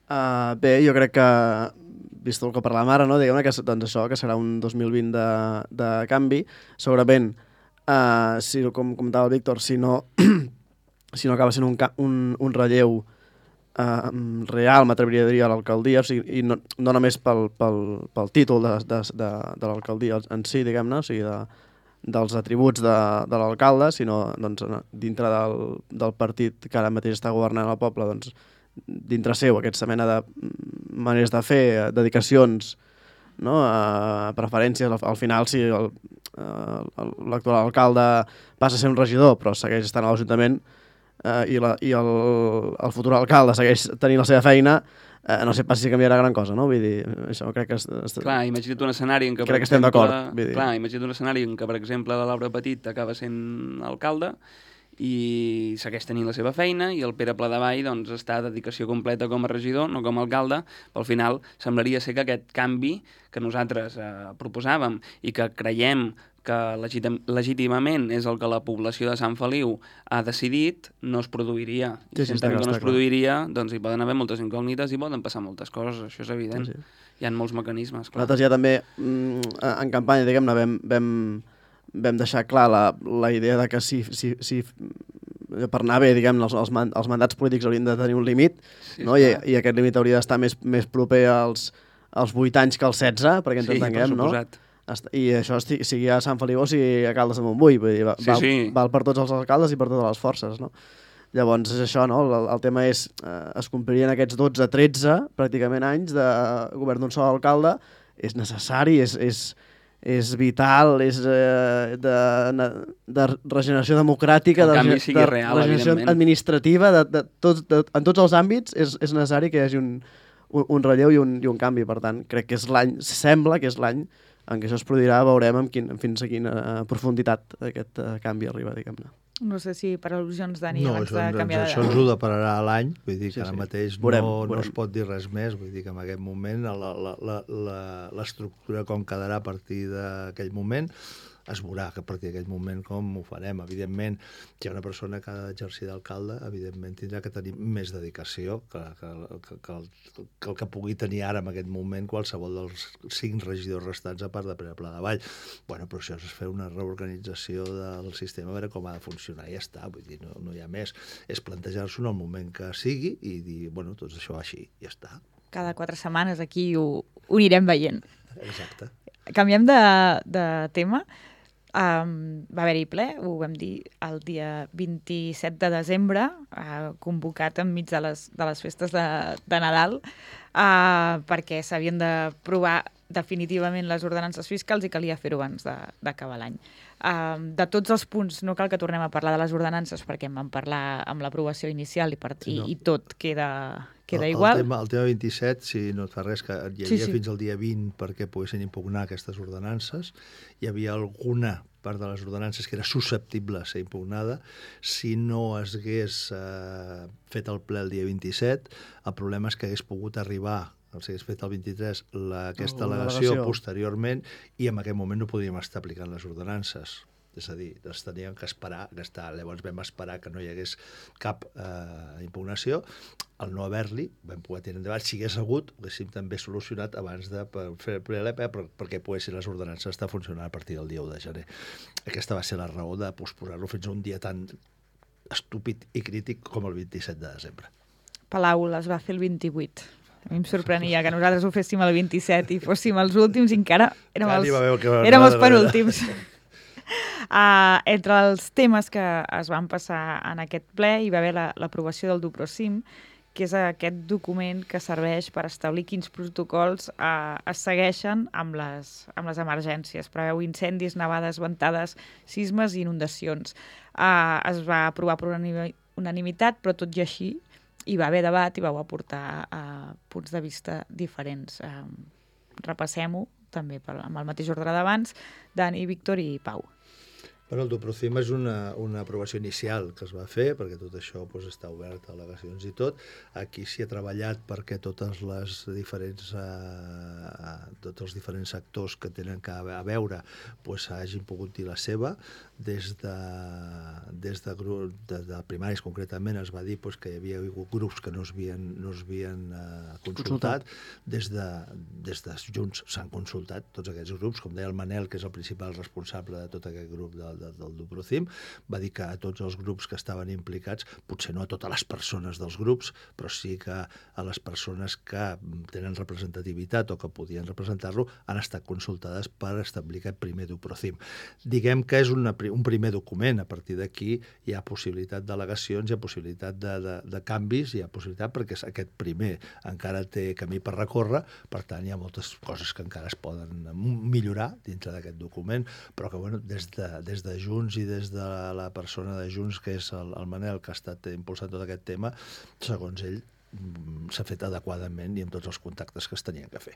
Uh, bé, jo crec que, vist el que parlàvem ara, no? Diguem-ne que, doncs això, que serà un dos mil vint de, de canvi. Segurament, uh, si, com comentava el Víctor, si no, si no acaba sent un, un, un relleu Uh, real, m'atreviria a dir, a l'alcaldia, o sigui, i no, no només pel, pel, pel títol de, de, de, de l'alcaldia en si, diguem-ne, o sigui, de, dels atributs de, de l'alcalde, sinó doncs, dintre del, del partit que ara mateix està governant el poble, doncs, dintre seu, aquesta mena de maneres de fer, dedicacions, no? Uh, preferències, al, al final, si el, uh, l'actual alcalde passa a ser un regidor, però segueix estant a l'Ajuntament, Uh, i, la, i el, el futur alcalde segueix tenint la seva feina, uh, no sé pas si canviarà gran cosa, no? Vull dir, això crec que... Est... Clar, imagina't un escenari en què... Crec que estem d'acord. Clar, imagina't un escenari en què, per exemple, la Laura Petit acaba sent alcalde i segueix tenint la seva feina i el Pere Pladevall doncs, està a dedicació completa com a regidor, no com a alcalde, però al final semblaria ser que aquest canvi que nosaltres eh, proposàvem i que creiem que legítim, legítimament és el que la població de Sant Feliu ha decidit, no es produiria. I sí, sí, si entenem que no es produiria, doncs hi poden haver moltes incògnites i poden passar moltes coses, això és evident. Sí, sí. Hi ha molts mecanismes, clar. Nosaltres ja també, en campanya, diguem-ne, vam, vam, vam deixar clar la, la idea de que si, si, si per anar bé, diguem-ne, els, els, els mandats polítics haurien de tenir un límit, sí, no? I, i aquest límit hauria d'estar més, més proper als, als vuit anys que als setze, perquè ens sí, entenguem, no? Suposat. I això sigui a Sant Feliu o sigui a Caldes de Montbui, vull dir, val, sí, sí. val per tots els alcaldes i per totes les forces, no? Llavors és això, no? El, el tema és, eh, es complirien aquests dotze tretze pràcticament anys de govern d'un sol alcalde, és necessari, és, és, és vital, és eh, de, de regeneració democràtica, de, de real, regeneració administrativa, de, de tots, de, en tots els àmbits és, és necessari que hi hagi un, un, un relleu i un, i un canvi, per tant, crec que és l'any, sembla que és l'any en què això es produirà, veurem amb quin, fins a quina profunditat aquest uh, canvi arriba, diguem-ne. No sé si per al·lusions, Dani, no, abans això, de canviar... No, això ens ho depararà a l'any, vull dir que sí, ara sí. mateix veurem, no, veurem. no es pot dir res més, vull dir que en aquest moment l'estructura com quedarà a partir d'aquell moment es veurà que a partir d'aquell moment com ho farem. Evidentment, si hi ha una persona que ha d'exercir d'alcalde, evidentment tindrà que tenir més dedicació que, que, que, que, el, que el que pugui tenir ara en aquest moment qualsevol dels cinc regidors restants a part de Pere Pladevall. Bueno, però això és fer una reorganització del sistema, a veure com ha de funcionar i ja està, vull dir, no, no hi ha més. És plantejar-s'ho en el moment que sigui i dir, bueno, doncs això així, ja està. Cada quatre setmanes aquí ho, ho anirem veient. Exacte. Canviem de, de tema. Um, va haver-hi ple, ho vam dir el dia vint-i-set de desembre, uh, convocat enmig de les, de les festes de, de Nadal, uh, perquè s'havien d'aprovar definitivament les ordenances fiscals i calia fer-ho abans d'acabar l'any. Uh, de tots els punts, no cal que tornem a parlar de les ordenances perquè en vam parlar amb l'aprovació inicial i, per, sí, no. i, i tot queda, queda el, igual. El tema, el tema vint-i-set, si no et fa res, que hi havia sí, sí. fins al dia vint perquè poguessin impugnar aquestes ordenances, hi havia alguna part de les ordenances que era susceptible a ser impugnada. Si no es hagués eh, fet el ple el dia vint-i-set, el problema és que hagués pogut arribar, si hagués fet el vint-i-tres, la, aquesta oh, al·legació posteriorment, i en aquest moment no podíem estar aplicant les ordenances. és a dir, es tenien que esperar, que estar, llavors vam esperar que no hi hagués cap eh, impugnació, al no haver-li vam poder tenir endavant, si hagués hagut, ho haguéssim també solucionat abans de per fer el P L P per, perquè poguessin les ordenances estar funcionant a partir del dia u de gener. Aquesta va ser la raó de posposar-lo fins a un dia tan estúpid i crític com el vint-i-set de desembre. Palau les va fer el vint-i-vuit. A mi em sorprenia que nosaltres ho féssim el vint-i-set i fóssim els últims i encara érem els, érem els penúltims. Uh, entre els temes que es van passar en aquest ple hi va haver l'aprovació la, del Duprocim, que és aquest document que serveix per establir quins protocols uh, es segueixen amb les, amb les emergències. Preveu incendis, nevades, ventades, sismes i inundacions. Uh, es va aprovar per unanimitat, però tot i així hi va haver debat i vau aportar uh, punts de vista diferents. Uh, repassem-ho també per, amb el mateix ordre d'abans. Dani, Víctor i Pau. Bueno, el Duprocim és una, una aprovació inicial que es va fer, perquè tot això doncs, està obert a al·legacions i tot. Aquí s'hi ha treballat perquè totes les diferents, eh, tots els diferents actors que tenen que a veure doncs, hagin pogut dir la seva. Des de, des de, grup, de, de primaris, concretament, es va dir doncs, que hi havia hagut grups que no es havien, no es havien eh, consultat. Des de, des de Junts s'han consultat tots aquests grups. Com deia el Manel, que és el principal responsable de tot aquest grup del del Duprocim, va dir que a tots els grups que estaven implicats, potser no a totes les persones dels grups, però sí que a les persones que tenen representativitat o que podien representar-lo, han estat consultades per establir aquest primer Duprocim. Diguem que és una, un primer document, a partir d'aquí hi ha possibilitat d'al·legacions, hi ha possibilitat de, de, de canvis, hi ha possibilitat perquè aquest primer encara té camí per recórrer, per tant hi ha moltes coses que encara es poden millorar dintre d'aquest document, però que bueno, des de, des de Junts i des de la persona de Junts, que és el, el Manel, que ha estat impulsant tot aquest tema, segons ell, s'ha fet adequadament i amb tots els contactes que es tenien que fer.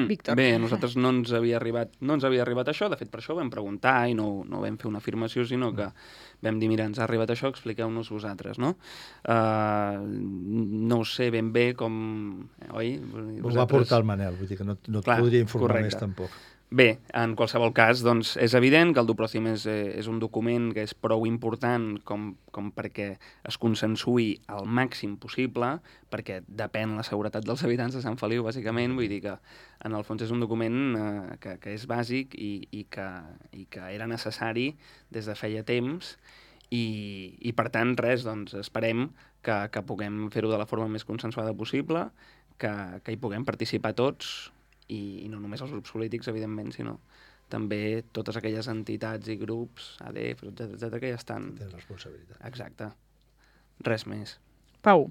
Víctor. Bé, a nosaltres no ens havia arribat, no ens havia arribat això, de fet per això ho vam preguntar i no, no vam fer una afirmació, sinó que vam dir, mira, ens ha arribat això, expliqueu-nos vosaltres, no? Uh, no sé ben bé com... Oi? Vosaltres... Ho va portar el Manel, vull dir que no, no et Clar, podria informar correcte. més tampoc. Bé, en qualsevol cas, doncs, és evident que el Duprocim és, és un document que és prou important com, com perquè es consensui al màxim possible, perquè depèn la seguretat dels habitants de Sant Feliu, bàsicament. Vull dir que, en el fons, és un document eh, que, que és bàsic i, i, que, i que era necessari des de feia temps i, i per tant, res, doncs, esperem que, que puguem fer-ho de la forma més consensuada possible, que, que hi puguem participar tots, i no només els grups polítics, evidentment, sinó també totes aquelles entitats i grups, A D F, etcètera, etcètera, que ja estan... Tenen responsabilitat. Exacte. Res més. Pau.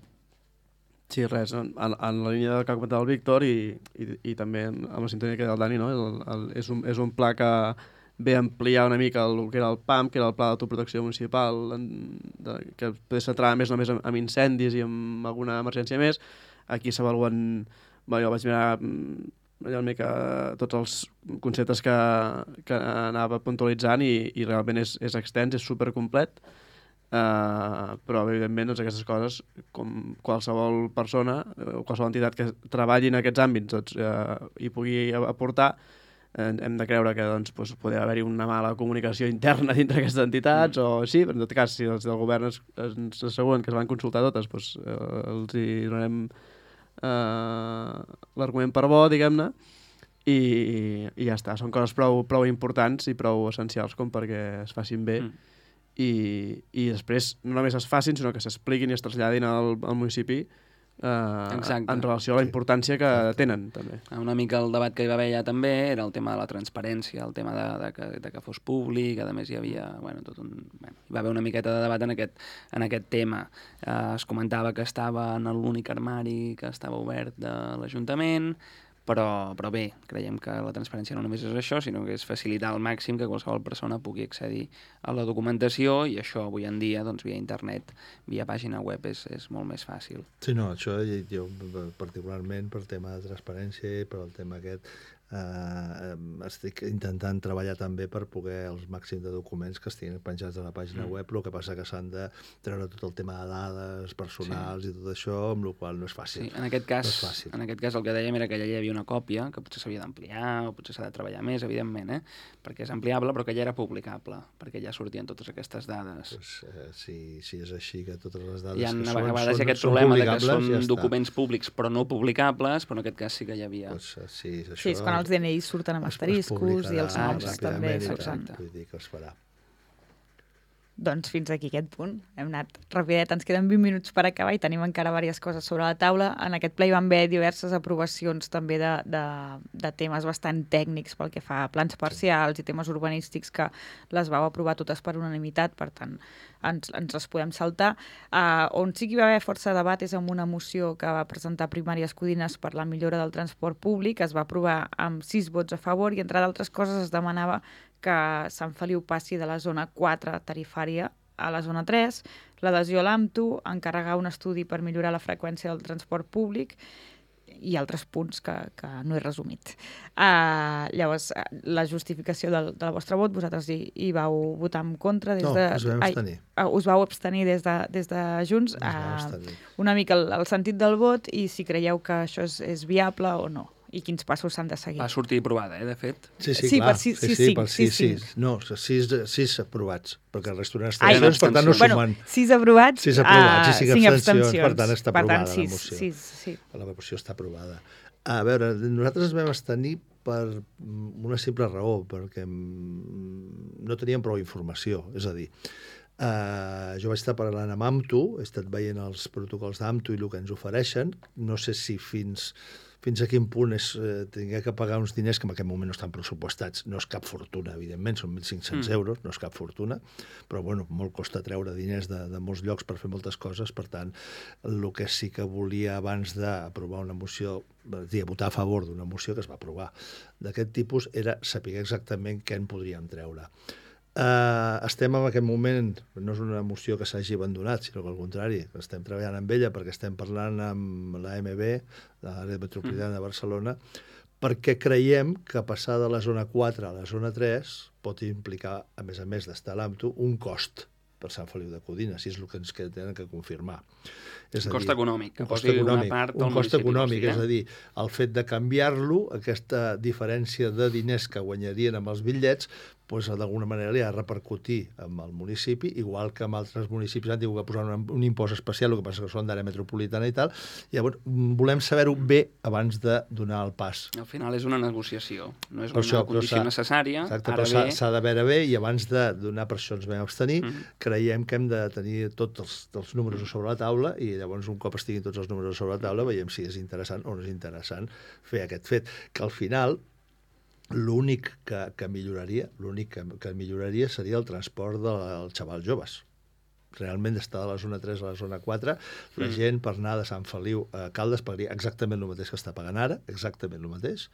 Sí, res, en, en la línia del que ha comentat el Víctor i, i, i també amb la sintonia que del Dani, no? el, el, és, un, és un pla que ve a ampliar una mica el, el que era el P A M, que era el Pla d'Autoprotecció Municipal, en, de, que podria centrar més només amb, amb incendis i amb alguna emergència més. Aquí s'avaluen... Bueno, jo vaig mirar allò una mica tots els conceptes que, que anava puntualitzant i, i realment és, és extens, és supercomplet, uh, però evidentment doncs, aquestes coses, com qualsevol persona o qualsevol entitat que treballi en aquests àmbits doncs, uh, hi pugui aportar, eh, hem de creure que doncs, doncs, podria haver-hi una mala comunicació interna dintre d'aquestes entitats, mm. o sí, però en tot cas, si els del govern es, ens asseguren que es van consultar totes, doncs, eh, els hi donarem Uh, l'argument per bo, diguem-ne, i, i ja està. Són coses prou, prou importants i prou essencials com perquè es facin bé mm. i, i després no només es facin, sinó que s'expliquin i es traslladin al, al municipi uh, en relació a la importància que tenen, també. Una mica el debat que hi va haver ja també era el tema de la transparència, el tema de, de, que, de que fos públic, a més hi havia, bueno, tot un... Bueno, hi va haver una miqueta de debat en aquest, en aquest tema. Uh, es comentava que estava en l'únic armari que estava obert de l'Ajuntament, però, però bé, creiem que la transparència no només és això, sinó que és facilitar al màxim que qualsevol persona pugui accedir a la documentació i això avui en dia, doncs, via internet, via pàgina web, és, és molt més fàcil. Sí, no, això jo particularment per tema de transparència i per el tema aquest eh, estic intentant treballar també per poder els màxims de documents que estiguin penjats a la pàgina web, el que passa que s'han de treure tot el tema de dades personals i tot això, amb la qual no és fàcil. Sí, en aquest cas, no és fàcil. en aquest cas el que dèiem era que ja hi havia una còpia, que potser s'havia d'ampliar o potser s'ha de treballar més, evidentment, eh? Perquè és ampliable, però que ja era publicable, perquè ja sortien totes aquestes dades. Pues, eh, si, si és així, que totes les dades Hi ha que a són, vegades són, aquest són problema de que publicables, són ja està. documents públics però no publicables, però en aquest cas sí que hi havia. Pues, eh, sí, és això, Sí, és quan els D N Is surten amb es- es asteriscos i els publicarà noms exacte, també. ràpidament i surten. tal, vull dir que es farà. Doncs fins aquí aquest punt. Hem anat rapidet, ens queden vint minuts per acabar i tenim encara diverses coses sobre la taula. En aquest ple hi van haver diverses aprovacions també de, de, de temes bastant tècnics pel que fa a plans parcials i temes urbanístics que les vau aprovar totes per unanimitat, per tant ens, ens les podem saltar. Uh, on sí que hi va haver força debat és amb una moció que va presentar Primàries Codines per la millora del transport públic, es va aprovar amb sis vots a favor i entre d'altres coses es demanava que Sant Feliu passi de la zona quatre tarifària a la zona tres, l'adhesió a l'A M T U, encarregar un estudi per millorar la freqüència del transport públic i altres punts que, que no he resumit. Uh, llavors, uh, la justificació del, del vostre vot, vosaltres hi, hi vau votar en contra des No, de... us vam Ai, abstenir. uh, us vau abstenir des de, des de Junts. Ens vam Uh, abstenir. una mica el, el sentit del vot i si creieu que això és, és viable o no i quins passos s'han de seguir. Va sortir aprovada, eh, de fet. Sí, sí, Sí, clar. per sis- sí, sis, sí, cinc, per sis, sis, sis. No, sis, sis aprovats, perquè el resto eren Ai, abstencions, per tant no abstencions. sumen. Bueno, sis aprovats, Sis aprovats i uh, cinc cinc abstencions, abstencions. per tant està Per tant, aprovada la sis, moció. sis, sí. La moció està aprovada. A veure, nosaltres ens vam abstenir per una simple raó, perquè mm, no teníem prou informació. És a dir, eh, jo vaig estar parlant amb A M T U, he estat veient els protocols d'A M T U i el que ens ofereixen. No sé si fins... fins a quin punt és eh, tingué que pagar uns diners que en aquest moment no estan pressupostats. No és cap fortuna, evidentment, són mil cinc-cents Mm. euros, no és cap fortuna, però bueno, molt costa treure diners de, de molts llocs per fer moltes coses, per tant, el que sí que volia abans d'aprovar una moció, és a dir, votar a favor d'una moció que es va aprovar d'aquest tipus, era saber exactament què en podríem treure. Uh, estem en aquest moment, no és una moció que s'hagi abandonat, sinó que al contrari, estem treballant amb ella perquè estem parlant amb l'A M B, l'àrea metropolitana de Barcelona, perquè creiem que passar de la zona quatre a la zona tres pot implicar, a més a més d'estar a l'A M T U, un cost per Sant Feliu de Codines, si és el que ens tenen que confirmar. És Un a cost dir, econòmic, que un cost posi una econòmic, part un al cost municipi, econòmic, o sigui, és a dir, el fet de canviar-lo, aquesta diferència de diners que guanyarien amb els bitllets, doncs d'alguna manera li ha de repercutir amb el municipi, igual que amb altres municipis han tingut que posar un, un impost especial, el que passa que són d'àrea metropolitana i tal. Llavors, volem saber-ho bé abans de donar el pas. Al final és una negociació, no és Per una això, però condició s'ha- necessària. Exacte, Ara però s'ha bé, s'ha de veure bé i abans de donar, per això ens vam abstenir, Mhm. creiem que hem de tenir tots els, els números sobre la taula i llavors un cop estiguin tots els números sobre la taula veiem si és interessant o no és interessant fer aquest fet, que al final l'únic que, que milloraria l'únic que, que milloraria seria el transport dels xavals joves. Realment d'estar de la zona tres a la zona quatre, la Mm. gent per anar de Sant Feliu a Caldes pagaria exactament el mateix que està pagant ara, exactament el mateix,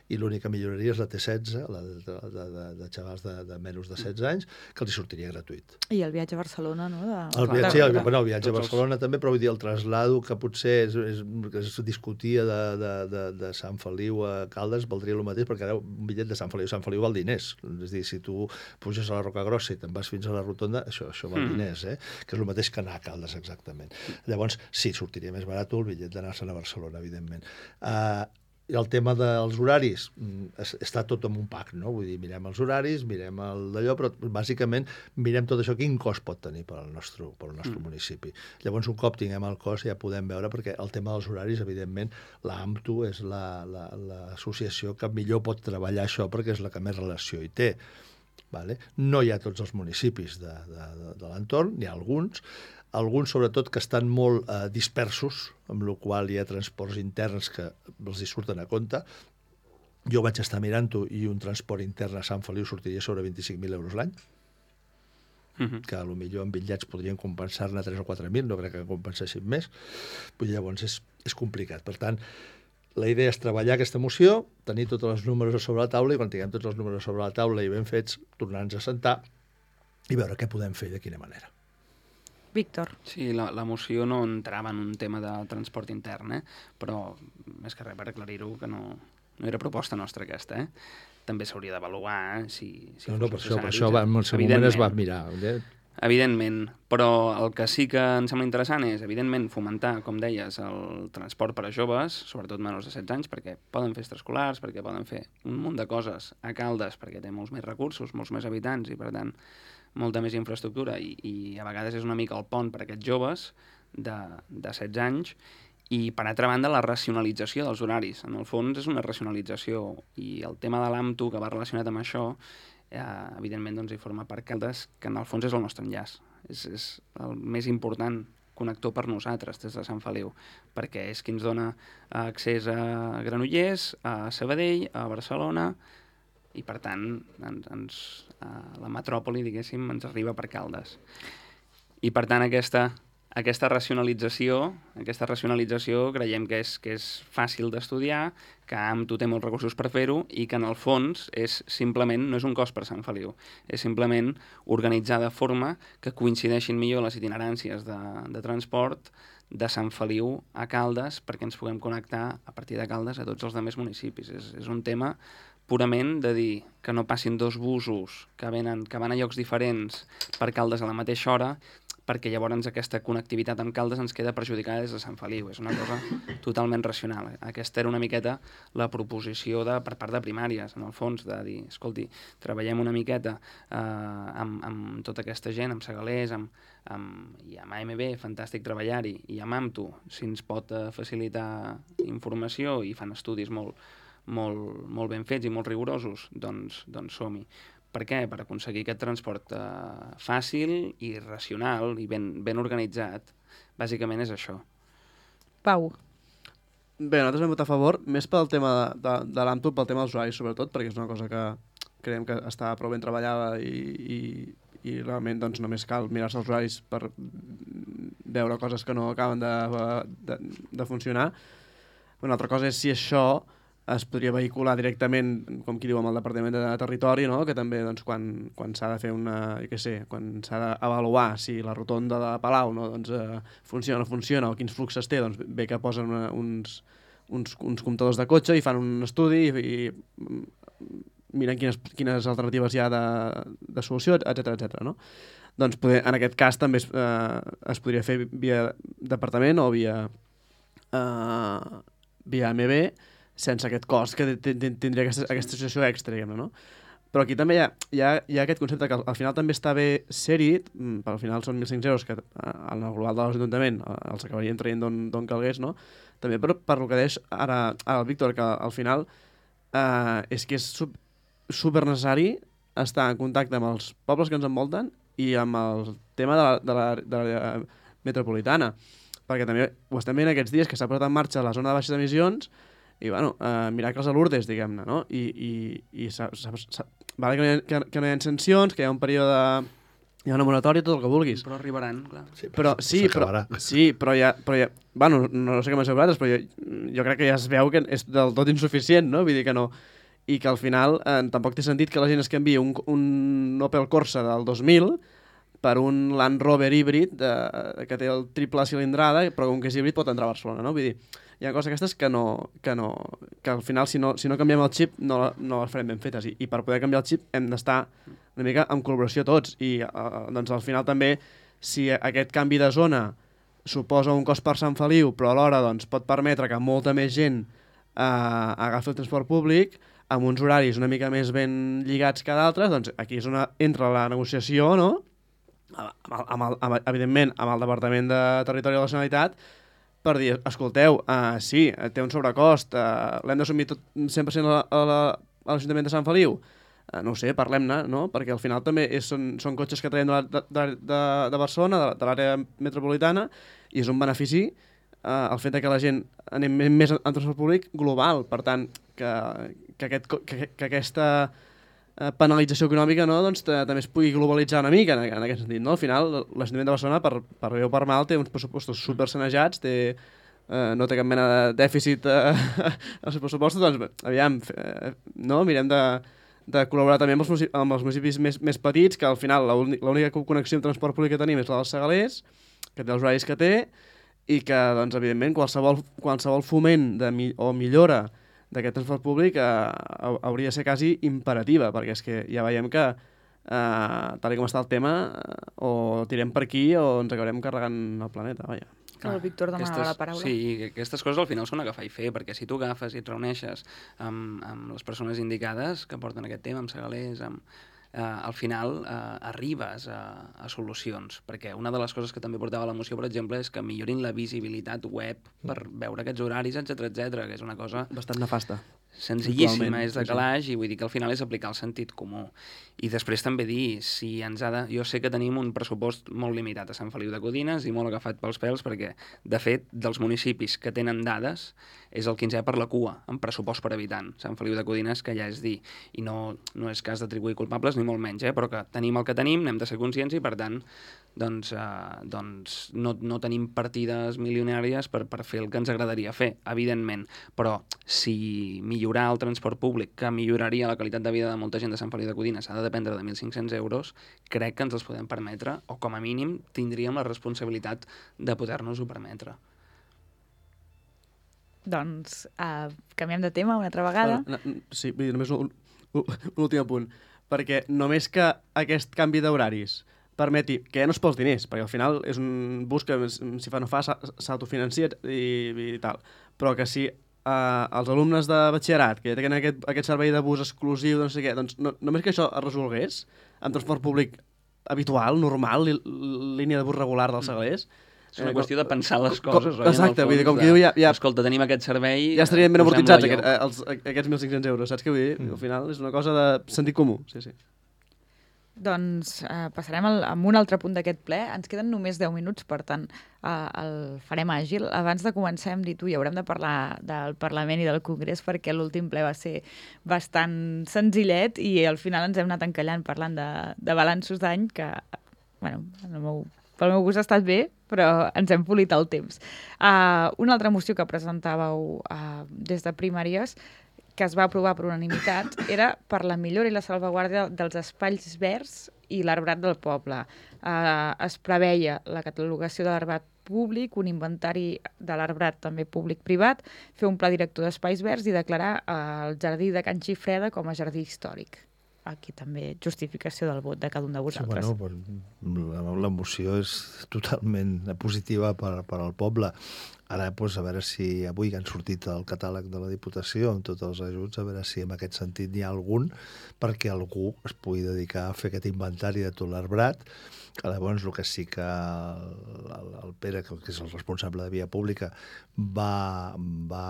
i l'únic que milloraria és la T setze, la de, de, de, de, de xavals de, de menys de setze anys, que els hi sortiria gratuït. I el viatge a Barcelona, no? De... El Clar, viatge, sí, el, de- bueno, el viatge a tots els- Barcelona també, però vull dir, el traslado que potser és, és, que es discutia de, de, de, de Sant Feliu a Caldes valdria el mateix, perquè ara un bitllet de Sant Feliu a Sant Feliu val diners. És a dir, si tu puges a la Roca Grossa i te'n vas fins a la Rotonda, això, això val Mm. diners, eh? Que és el mateix que anar a Caldes, exactament. Llavors, sí, sortiria més barat el bitllet d'anar-se'n a Barcelona, evidentment. Uh, I el tema dels horaris, mm, es- està tot en un pack, no? Vull dir, mirem els horaris, mirem el d'allò, però bàsicament mirem tot això, quin cost pot tenir per al nostre, per al nostre Mm. municipi. Llavors, un cop tinguem el cost ja podem veure, perquè el tema dels horaris, evidentment, l'A M T U és la- la- l'associació que millor pot treballar això, perquè és la que més relació hi té. Vale? No hi ha tots els municipis de, de, de, de l'entorn, n'hi ha alguns, alguns sobretot que estan molt eh, dispersos, amb la qual hi ha transports interns que els hi surten a compte. Jo vaig estar mirant-ho i un transport intern a Sant Feliu sortiria sobre vint-i-cinc mil euros l'any, Mhm. que potser en bitllets podrien compensar-ne tres o quatre mil, no crec que compensessin més. Vull dir, llavors és, és complicat. Per tant, la idea és treballar aquesta moció, tenir tots els números sobre la taula i quan tinguem tots els números sobre la taula i ben fets, tornar-nos a sentar i veure què podem fer i de quina manera. Víctor. Sí, la, la moció no entrava en un tema de transport intern, eh? Però més que res per aclarir-ho, que no, no era proposta nostra aquesta, eh? També s'hauria d'avaluar eh? si, si no, fos no, per això, per necessari, això va, en el seu moment es va mirar. Eh? Evidentment, però el que sí que em sembla interessant és, evidentment, fomentar, com deies, el transport per a joves, sobretot menors de setze anys, perquè poden fer extraescolars, perquè poden fer un munt de coses a Caldes, perquè té molts més recursos, molts més habitants i, per tant, molta més infraestructura i, i a vegades és una mica el pont per a aquests joves de, de setze anys. I, per altra banda, la racionalització dels horaris. En el fons és una racionalització i el tema de l'AMTU, que va relacionat amb això, eh, evidentment doncs, hi forma part Caldes, que en el fons és el nostre enllaç. És, és el més important connector per nosaltres des de Sant Feliu, perquè és qui ens dona accés a Granollers, a Sabadell, a Barcelona, i per tant ens, ens, a la metròpoli, diguéssim, ens arriba per Caldes. I per tant aquesta... Aquesta racionalització, aquesta racionalització creiem que és, que és fàcil d'estudiar, que AMTU té molts recursos per fer-ho i que en el fons és simplement, no és un cost per Sant Feliu, és simplement organitzar de forma que coincideixin millor les itineràncies de, de transport de Sant Feliu a Caldes perquè ens puguem connectar a partir de Caldes a tots els altres municipis. És, és un tema purament de dir que no passin dos busos que, venen, que van a llocs diferents per Caldes a la mateixa hora, perquè llavors aquesta connectivitat amb Caldes ens queda perjudicada des de Sant Feliu. És una cosa totalment racional. Aquesta era una miqueta la proposició de, per part de primàries, en el fons, de dir, escolti, treballem una miqueta eh, amb, amb tota aquesta gent, amb Segalers, amb, amb, i amb A M B, fantàstic treballar-hi, i amb AMTU, si ens pot eh, facilitar informació i fan estudis molt, molt, molt ben fets i molt rigorosos, doncs, doncs som-hi. Per què? Per aconseguir aquest transport eh, fàcil i racional i ben, ben organitzat. Bàsicament és això. Pau. Bé, nosaltres vam votar a favor, més pel tema de, de, de l'AMTU, pel tema dels usuaris, sobretot, perquè és una cosa que creiem que està prou ben treballada i, i, i realment doncs, només cal mirar-se els usuaris per veure coses que no acaben de, de, de funcionar. Una altra cosa és si això es podria vehicular directament, com qui diu, amb el Departament de Territori, no? Que també doncs, quan, quan s'ha de fer una, jo què sé, quan s'ha d'avaluar si la rotonda de Palau no, doncs, eh, funciona o no funciona o quins fluxes té, doncs bé que posen una, uns, uns, uns comptadors de cotxe i fan un estudi i, i miren quines, quines alternatives hi ha de, de solució, etcètera etcètera. No? Doncs poder, en aquest cas també es, eh, es podria fer via departament o via, eh, via A M B, sense aquest cost que tindria aquesta, aquesta associació extra, diguem-ne, no? Però aquí també hi ha, hi, ha, hi ha aquest concepte que al final també està bé ser-hi, però al final són mil cinc-cents euros que en el global de l'Ajuntament els acabaríem traient d'on calgués, no? També per, per el que deix ara el Víctor, que al final eh, és que és sub, super necessari estar en contacte amb els pobles que ens envolten i amb el tema de la, de la, de la metropolitana, perquè també ho estem veient aquests dies que s'ha posat en marxa la zona de baixes emissions i, bueno, eh, miracles a Lourdes, diguem-ne, no? I, i, i s'ha, s'ha, s'ha, vale que, no hi ha, que, que no hi ha sancions, que hi ha un període... Hi ha una moratòria, tot el que vulguis. Però arribaran, clar. Sí, però, sí, però, sí, però ja... Però ja bueno, no sé què m'has vosaltres, però jo, jo crec que ja es veu que és del tot insuficient, no? Vull dir que no... I que al final eh, tampoc té sentit que la gent es canviï un, un Opel Corsa del dos mil per un Land Rover híbrid de, que té el triple cilindrada, però com que és híbrid pot entrar a Barcelona, no? Vull dir, hi ha coses aquestes que no, que no, que al final si no, si no canviem el xip no, no les farem ben fetes i, i per poder canviar el xip hem d'estar una mica en col·laboració tots i uh, doncs al final també si aquest canvi de zona suposa un cost per Sant Feliu però alhora doncs, pot permetre que molta més gent uh, agafi el transport públic amb uns horaris una mica més ben lligats que d'altres, doncs aquí és on entra la negociació, no? Amb el, amb el, amb, evidentment amb el Departament de Territori de la Generalitat per dir, escolteu, uh, sí, té un sobrecost, uh, l'hem d'assumir tot cent per cent a, a, la, a l'Ajuntament de Sant Feliu? Uh, no ho sé, parlem-ne, no? Perquè al final també és, són, són cotxes que traiem de, de, de, de Barcelona, de, de l'àrea metropolitana, i és un benefici uh, el fet que la gent anem més en transport públic global. Per tant, que, que, aquest, que, que aquesta penalització econòmica no, doncs, també es pugui globalitzar una mica en, en aquest sentit. No? Al final, l'Ajuntament de Barcelona, per, per bé o per mal, té uns pressupostos supersanejats, té, eh, no té cap mena de dèficit eh, als seus pressupostos, doncs, aviam, eh, no? mirem de, de col·laborar també amb els municipis, amb els municipis més, més petits, que al final l'única connexió amb transport públic que tenim és la dels Segalers, que té els horaris que té, i que, doncs, evidentment, qualsevol, qualsevol foment de, o millora d'aquest transport públic eh, hauria de ser quasi imperativa, perquè és que ja veiem que eh, tal com està el tema, eh, o tirem per aquí o ens acabarem carregant el planeta, vaja. El Víctor demanava aquestes, la paraula. Sí, aquestes coses al final són agafar i fer, perquè si tu agafes i et reuneixes amb, amb les persones indicades que porten aquest tema, amb segalers, amb, eh, al final eh, arribes a, a solucions, perquè una de les coses que també portava la moció, per exemple, és que millorin la visibilitat web per veure aquests horaris, etcètera, etcètera, que és una cosa Bastant nefasta. senzillíssima, és de sí, sí. calaix, i vull dir que al final és aplicar el sentit comú. I després també dir, si ens ha de... Jo sé que tenim un pressupost molt limitat a Sant Feliu de Codines i molt agafat pels pèls, perquè, de fet, dels municipis que tenen dades, és el quinzè per la cua, en pressupost per habitant. Sant Feliu de Codines, que ja és dir, i no, no és cas d'atribuir culpables, ni molt menys, eh? Però que tenim el que tenim, n'hem de ser conscients i, per tant, doncs, eh, doncs no, no tenim partides milionàries per, per fer el que ens agradaria fer, evidentment. Però si millorar el transport públic, que milloraria la qualitat de vida de molta gent de Sant Feliu de Codines, ha de dependre de mil cinc-cents euros, crec que ens els podem permetre, o com a mínim tindríem la responsabilitat de poder-nos-ho permetre. Doncs uh, canviem de tema una altra vegada. Bueno, no, sí, vull dir, només un, un, un últim apunt. Perquè només que aquest canvi d'horaris permeti, que ja no es pels diners, perquè al final és un bus que si fa no fa s'autofinancia i, i tal, però que si eh, els alumnes de batxillerat que ja tenen aquest, aquest servei de bus exclusiu, no sé què, doncs no, només que això es resolgués amb transport públic habitual, normal, li, línia de bus regular dels segalers, És una eh, qüestió de pensar les com, coses, oi? Exacte, vull dir, com de, que diu ja, ja... Escolta, tenim aquest servei... Ja estarien ben posem-lo amortitzats allò. aquest, eh, els, aquests mil cinc-cents euros, saps què vull dir? Mm. Al final és una cosa de sentit comú, sí, sí. Doncs eh, passarem al, a un altre punt d'aquest ple. Ens queden només deu minuts, per tant, eh, el farem àgil. Abans de començar hem dit, ui, haurem de parlar del Parlament i del Congrés perquè l'últim ple va ser bastant senzillet i al final ens hem anat encallant parlant de, de balanços d'any que, bueno, el meu, pel meu gust ha estat bé, però ens hem polit el temps. Uh, una altra moció que presentàveu uh, des de Primàries, que es va aprovar per unanimitat, era per la millora i la salvaguàrdia dels espais verds i l'arbrat del poble. Uh, es preveia la catalogació de l'arbrat públic, un inventari de l'arbrat també públic-privat, fer un pla director d'espais verds i declarar uh, el jardí de Can Xifreda com a jardí històric. Aquí també justificació del vot de cada un de vosaltres. Sí, bueno, la, la moció és totalment positiva per, per al poble. Ara, doncs, a veure si avui han sortit el catàleg de la Diputació amb tots els ajuts, a veure si en aquest sentit n'hi ha algun perquè algú es pugui dedicar a fer aquest inventari de tot l'arbrat. Llavors, el que sí que el, el Pere, que és el responsable de Via Pública, va, va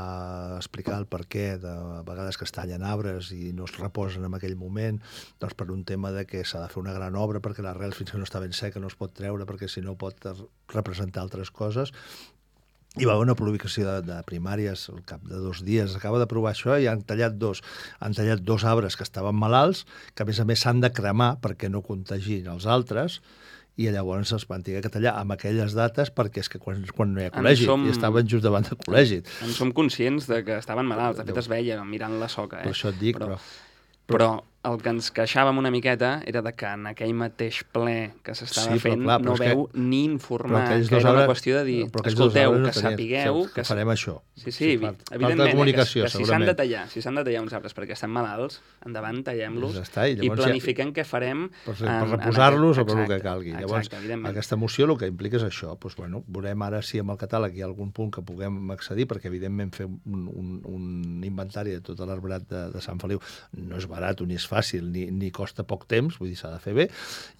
explicar el perquè de vegades que es tallen arbres i no es reposen en aquell moment, doncs per un tema de que s'ha de fer una gran obra perquè l'arrel fins que no està ben seca no es pot treure perquè si no pot representar altres coses. Hi va haver una publicació de, de Primàries al cap de dos dies. Acaba d'aprovar això i han tallat dos. Han tallat dos arbres que estaven malalts, que a més a més s'han de cremar perquè no contagin els altres, i llavors es van haver que tallar amb aquelles dates perquè és que quan, quan no hi ha col·legi, som... i estaven just davant del col·legi. En som conscients de que estaven malalts, de fet es veia mirant la soca. Eh? Per això et dic, però... però... però el que ens queixàvem una miqueta era de que en aquell mateix ple que s'estava sí, fent clar, no veu que... ni informar, que era una qüestió de dir, escolteu, que sapigueu... Que, que farem això. Sí, sí, sí evidentment, comunicació, que, que si s'han de tallar, si s'han de tallar uns arbres perquè estan malalts, endavant, tallem-los ja i, i planifiquem ja... què farem... Per, per reposar-los o per el que calgui. Llavors, exacte, aquesta moció el que implica és això. Doncs, bueno, veurem ara si amb el catàleg hi ha algun punt que puguem accedir, perquè evidentment fer un, un, un inventari de tot l'arbrat de, de Sant Feliu no és barat ni és fàcil, ni, ni costa poc temps, vull dir, s'ha de fer bé,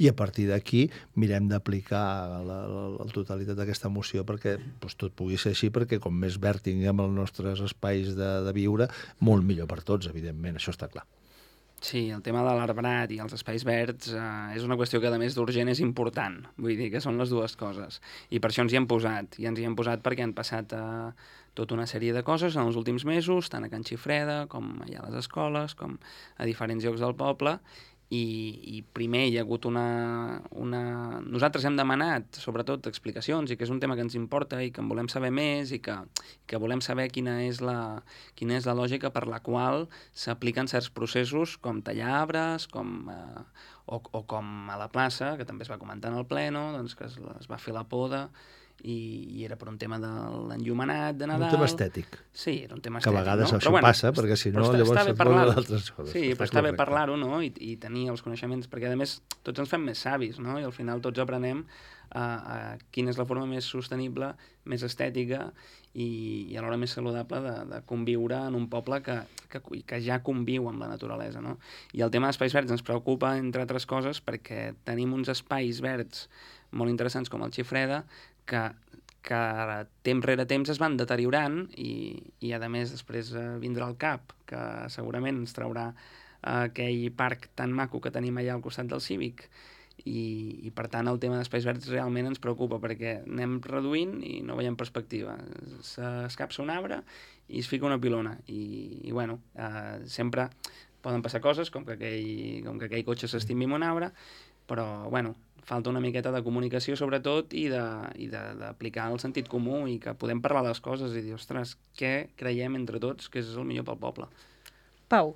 i a partir d'aquí mirem d'aplicar la, la, la totalitat d'aquesta moció perquè doncs, tot pugui ser així, perquè com més verd tinguem els nostres espais de, de viure, molt millor per tots, evidentment, això està clar. Sí, el tema de l'arbrat i els espais verds eh, és una qüestió que, a més d'urgent, és important. Vull dir que són les dues coses. I per això ens hi hem posat. I ens hi hem posat perquè han passat eh, tota una sèrie de coses en els últims mesos, tant a Can Xifreda, com allà a les escoles, com a diferents llocs del poble. I, i primer hi ha hagut una, una... Nosaltres hem demanat, sobretot, explicacions, i que és un tema que ens importa i que en volem saber més i que, que volem saber quina és, la, quina és la lògica per la qual s'apliquen certs processos com tallar arbres, com, eh, o, o com a la plaça, que també es va comentar en el pleno, doncs que es, es va fer la poda, i, i era per un tema de l'enllumenat de Nadal. Un tema estètic. Sí, era un tema que estètic, a vegades no? això bueno, passa, perquè si no està, llavors està et volen d'altres coses. Sí, però Estàs està bé correcte. parlar-ho, no? I, i tenir els coneixements, perquè a més tots ens fem més savis, no? I al final tots aprenem a, a quina és la forma més sostenible, més estètica i, i alhora més saludable de, de conviure en un poble que, que, que ja conviu amb la naturalesa, no? I el tema d'espais verds ens preocupa, entre altres coses, perquè tenim uns espais verds molt interessants com el Xifreda, que, que temps rere temps es van deteriorant i, i a més després eh, vindrà el CAP, que segurament ens traurà eh, aquell parc tan maco que tenim allà al costat del Cívic. I, i per tant el tema d'espais verds realment ens preocupa perquè anem reduint i no veiem perspectiva. S'escapça un arbre i es fica una pilona i, i bueno, eh, sempre poden passar coses com que aquell, com que aquell cotxe s'estimi amb un arbre, però bueno, falta una miqueta de comunicació sobretot i d'aplicar el sentit comú i que podem parlar de les coses i dir, ostres, què creiem entre tots que és el millor pel poble? Pau.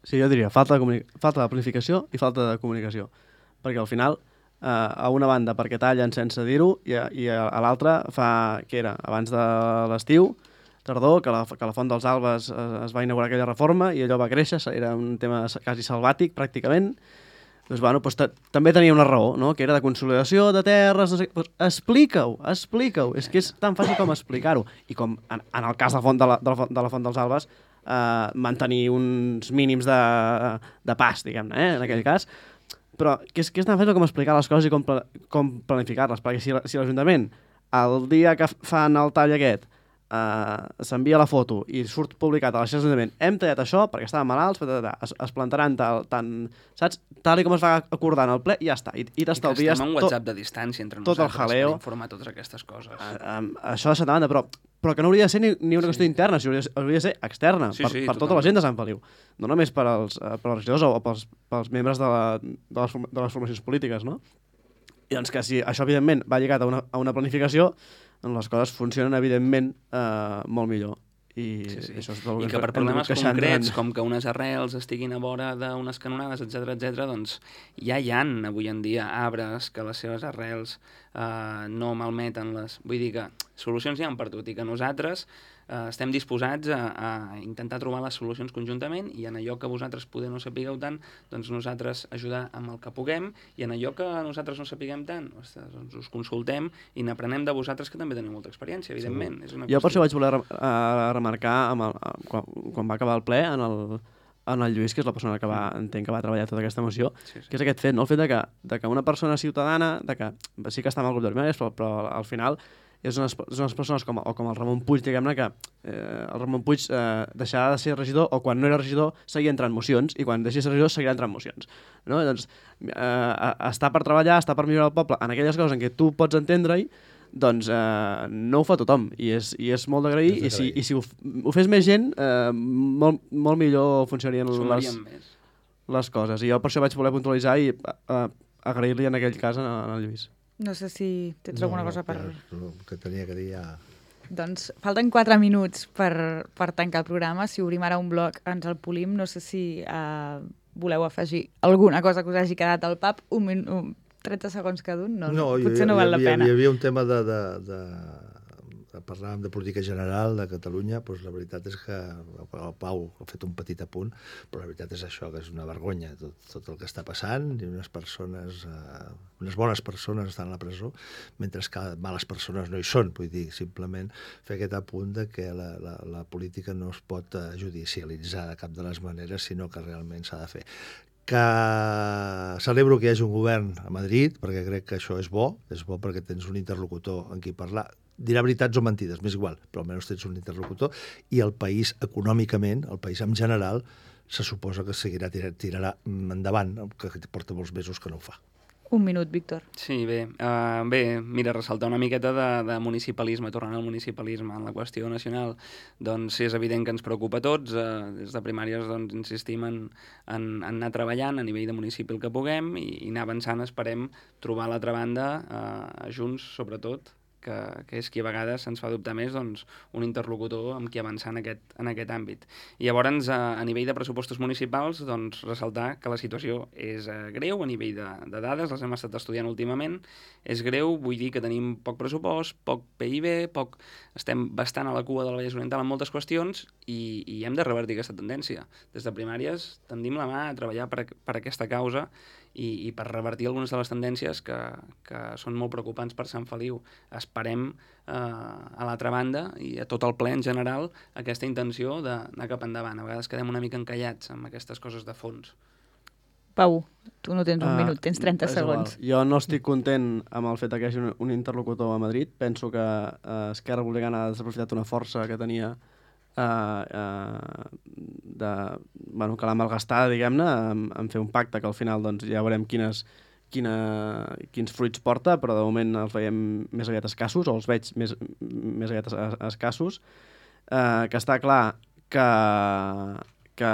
Sí, jo diria falta de, falta de planificació i falta de comunicació. Perquè al final, eh, a una banda perquè tallen sense dir-ho i a, i a, a l'altra fa, què era, abans de l'estiu, tardor, que la, que la Font dels Albes es, es va inaugurar aquella reforma i allò va créixer, era un tema quasi salvàtic pràcticament. Doncs, bueno, doncs també tenia una raó, no? Que era de consolidació de terres, no sé, doncs explica-ho, explica-ho, és que és tan fàcil com explicar-ho. I com en, en el cas de la Font, de la, de la, de la Font dels Albes, eh, mantenir uns mínims de, de pas, diguem-ne, eh, en aquell cas. Però que és, que és tan fàcil com explicar les coses i com, com planificar-les, perquè si, si l'Ajuntament el dia que fan el tall aquest uh, s'envia la foto i surt publicat a la xarxa de l'Ajuntament, hem tallat això perquè estàvem malalts, es, es plantaran tal, tant, saps? Tal i com es va acordar en el ple, i ja està. I, i t'estalvies I que estem en WhatsApp de distància entre tot nosaltres el jaleo per informar totes aquestes coses. Uh, um, això de setmana, però però que no hauria de ser ni, ni una qüestió sí. interna, si hauria, hauria de ser externa, sí, per, sí, per tota la gent de Sant Feliu. No només per als, per als regidors o pels, pels membres de, la, de, les, de les formacions polítiques, no? I doncs que si això, evidentment, va lligat a una, a una planificació, doncs les coses funcionen, evidentment, eh, molt millor. I, sí, sí. Això és el I que per problemes concrets, com que unes arrels estiguin a vora d'unes canonades, etcètera, etcètera, doncs ja hi ha avui en dia arbres que les seves arrels eh, no malmeten les... Vull dir que solucions hi ha per tot i que nosaltres eh, estem disposats a, a intentar trobar les solucions conjuntament i en allò que vosaltres poder no sapigueu tant, doncs nosaltres ajudar amb el que puguem i en allò que nosaltres no sapiguem tant, ostres, doncs us consultem i n'aprenem de vosaltres que també teniu molta experiència, evidentment. És una jo per qüestió... això vaig voler uh, remarcar amb el, uh, quan, quan va acabar el ple en el, en el Lluís, que és la persona que va, entenc que va treballar tota aquesta moció, sí, sí. que és aquest fet, no? El fet de que, de que una persona ciutadana, de que sí que està en el grup de primàries, però, però al final és unes, és unes persones com, o com el Ramon Puig, diguem-ne, que eh, el Ramon Puig eh, deixarà de ser regidor o quan no era regidor seguia entrant mocions i quan deixi de ser regidor seguirà entrant mocions. No? Doncs eh, està per treballar, està per millorar el poble en aquelles coses en què tu pots entendre-hi, doncs eh, no ho fa tothom i és, i és molt d'agrair i si, i si ho, ho fes més gent eh, molt, molt millor funcionarien les, les coses i jo per això vaig voler puntualitzar i eh, agrair-li en aquell cas en, en el Lluís. No sé si tens no, alguna no, cosa per... El que tenia que dir ja... Doncs falten quatre minuts per, per tancar el programa. Si obrim ara un bloc ens el polim. No sé si uh, voleu afegir alguna cosa que us hagi quedat al pap. Un minut... trenta segons cada un? No, no, potser no val la pena. Hi havia un tema de, de, de, de parlàvem de política general de Catalunya, doncs la veritat és que el Pau ha fet un petit apunt, però la veritat és això, que és una vergonya tot, tot el que està passant, i unes persones, eh, unes bones persones estan a la presó, mentre que males persones no hi són. Vull dir, simplement fer aquest apunt de que la, la, la política no es pot judicialitzar de cap de les maneres, sinó que realment s'ha de fer. Que celebro que hi hagi un govern a Madrid, perquè crec que això és bo, és bo perquè tens un interlocutor en qui parlar, dirà veritats o mentides, m'és igual, però almenys tens un interlocutor, i el país econòmicament, el país en general, se suposa que seguirà, tirarà, tirarà endavant, que porta molts mesos que no ho fa. Un minut, Víctor. Sí, bé, uh, bé, mira, ressaltar una miqueta de, de municipalisme, tornant al municipalisme en la qüestió nacional, doncs és evident que ens preocupa a tots, uh, des de primàries doncs, insistim en, en, en anar treballant a nivell de municipi el que puguem i, i anar avançant, esperem trobar a l'altra banda, uh, junts sobretot, que, que és qui a vegades se'ns fa dubtar més, doncs, un interlocutor amb qui avançar en aquest, en aquest àmbit. I llavors, a, a nivell de pressupostos municipals, doncs, ressaltar que la situació és eh, greu a nivell de, de dades, les hem estat estudiant últimament, és greu, vull dir que tenim poc pressupost, poc P I B, poc... estem bastant a la cua del Vallès Oriental en moltes qüestions i, i hem de revertir aquesta tendència. Des de primàries tendim la mà a treballar per, per aquesta causa i, i per revertir algunes de les tendències que, que són molt preocupants per Sant Feliu. Esperem eh, a l'altra banda i a tot el ple en general aquesta intenció d'anar cap endavant. A vegades quedem una mica encallats amb aquestes coses de fons. Pau, tu no tens un Uh, minut, tens trenta és igual. segons. Jo no estic content amb el fet que hi hagi un, un interlocutor a Madrid. Penso que uh, Esquerra Republicana ha desaprofitat una força que tenia uh, uh, de, bueno, que l'ha malgastada, diguem-ne, en, en fer un pacte que al final doncs, ja veurem quines, quina, quins fruits porta, però de moment els veiem més aviat escassos, o els veig més, més aviat es, escassos, uh, que està clar que, que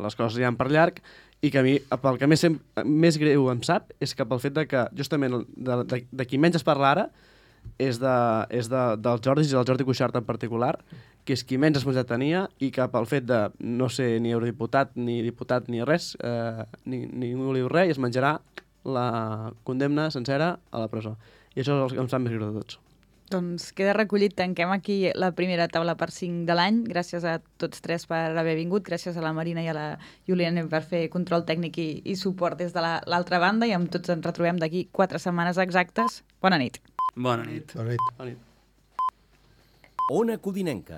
les coses iran per llarg, i que a mi, pel que més, més greu em sap, és que pel fet de que justament de, de, de qui menys es parla ara és, de, és de, del Jordi, i del Jordi Cuixart en particular, que és qui menys responsabilitat tenia i que pel fet de no ser ni eurodiputat ni diputat ni res, eh, ni, ningú li diu res i es menjarà la condemna sencera a la presó. I això és el que em sap més greu de tots. Doncs queda recollit, tanquem aquí la primera taula per cinc de l'any. Gràcies a tots tres per haver vingut, gràcies a la Marina i a la Juliana per fer control tècnic i, i suport des de l'altra la, banda, i amb tots ens retrobem d'aquí quatre setmanes exactes. Bona nit. Bona nit. Bona nit. Bona nit. Ona Codinenca.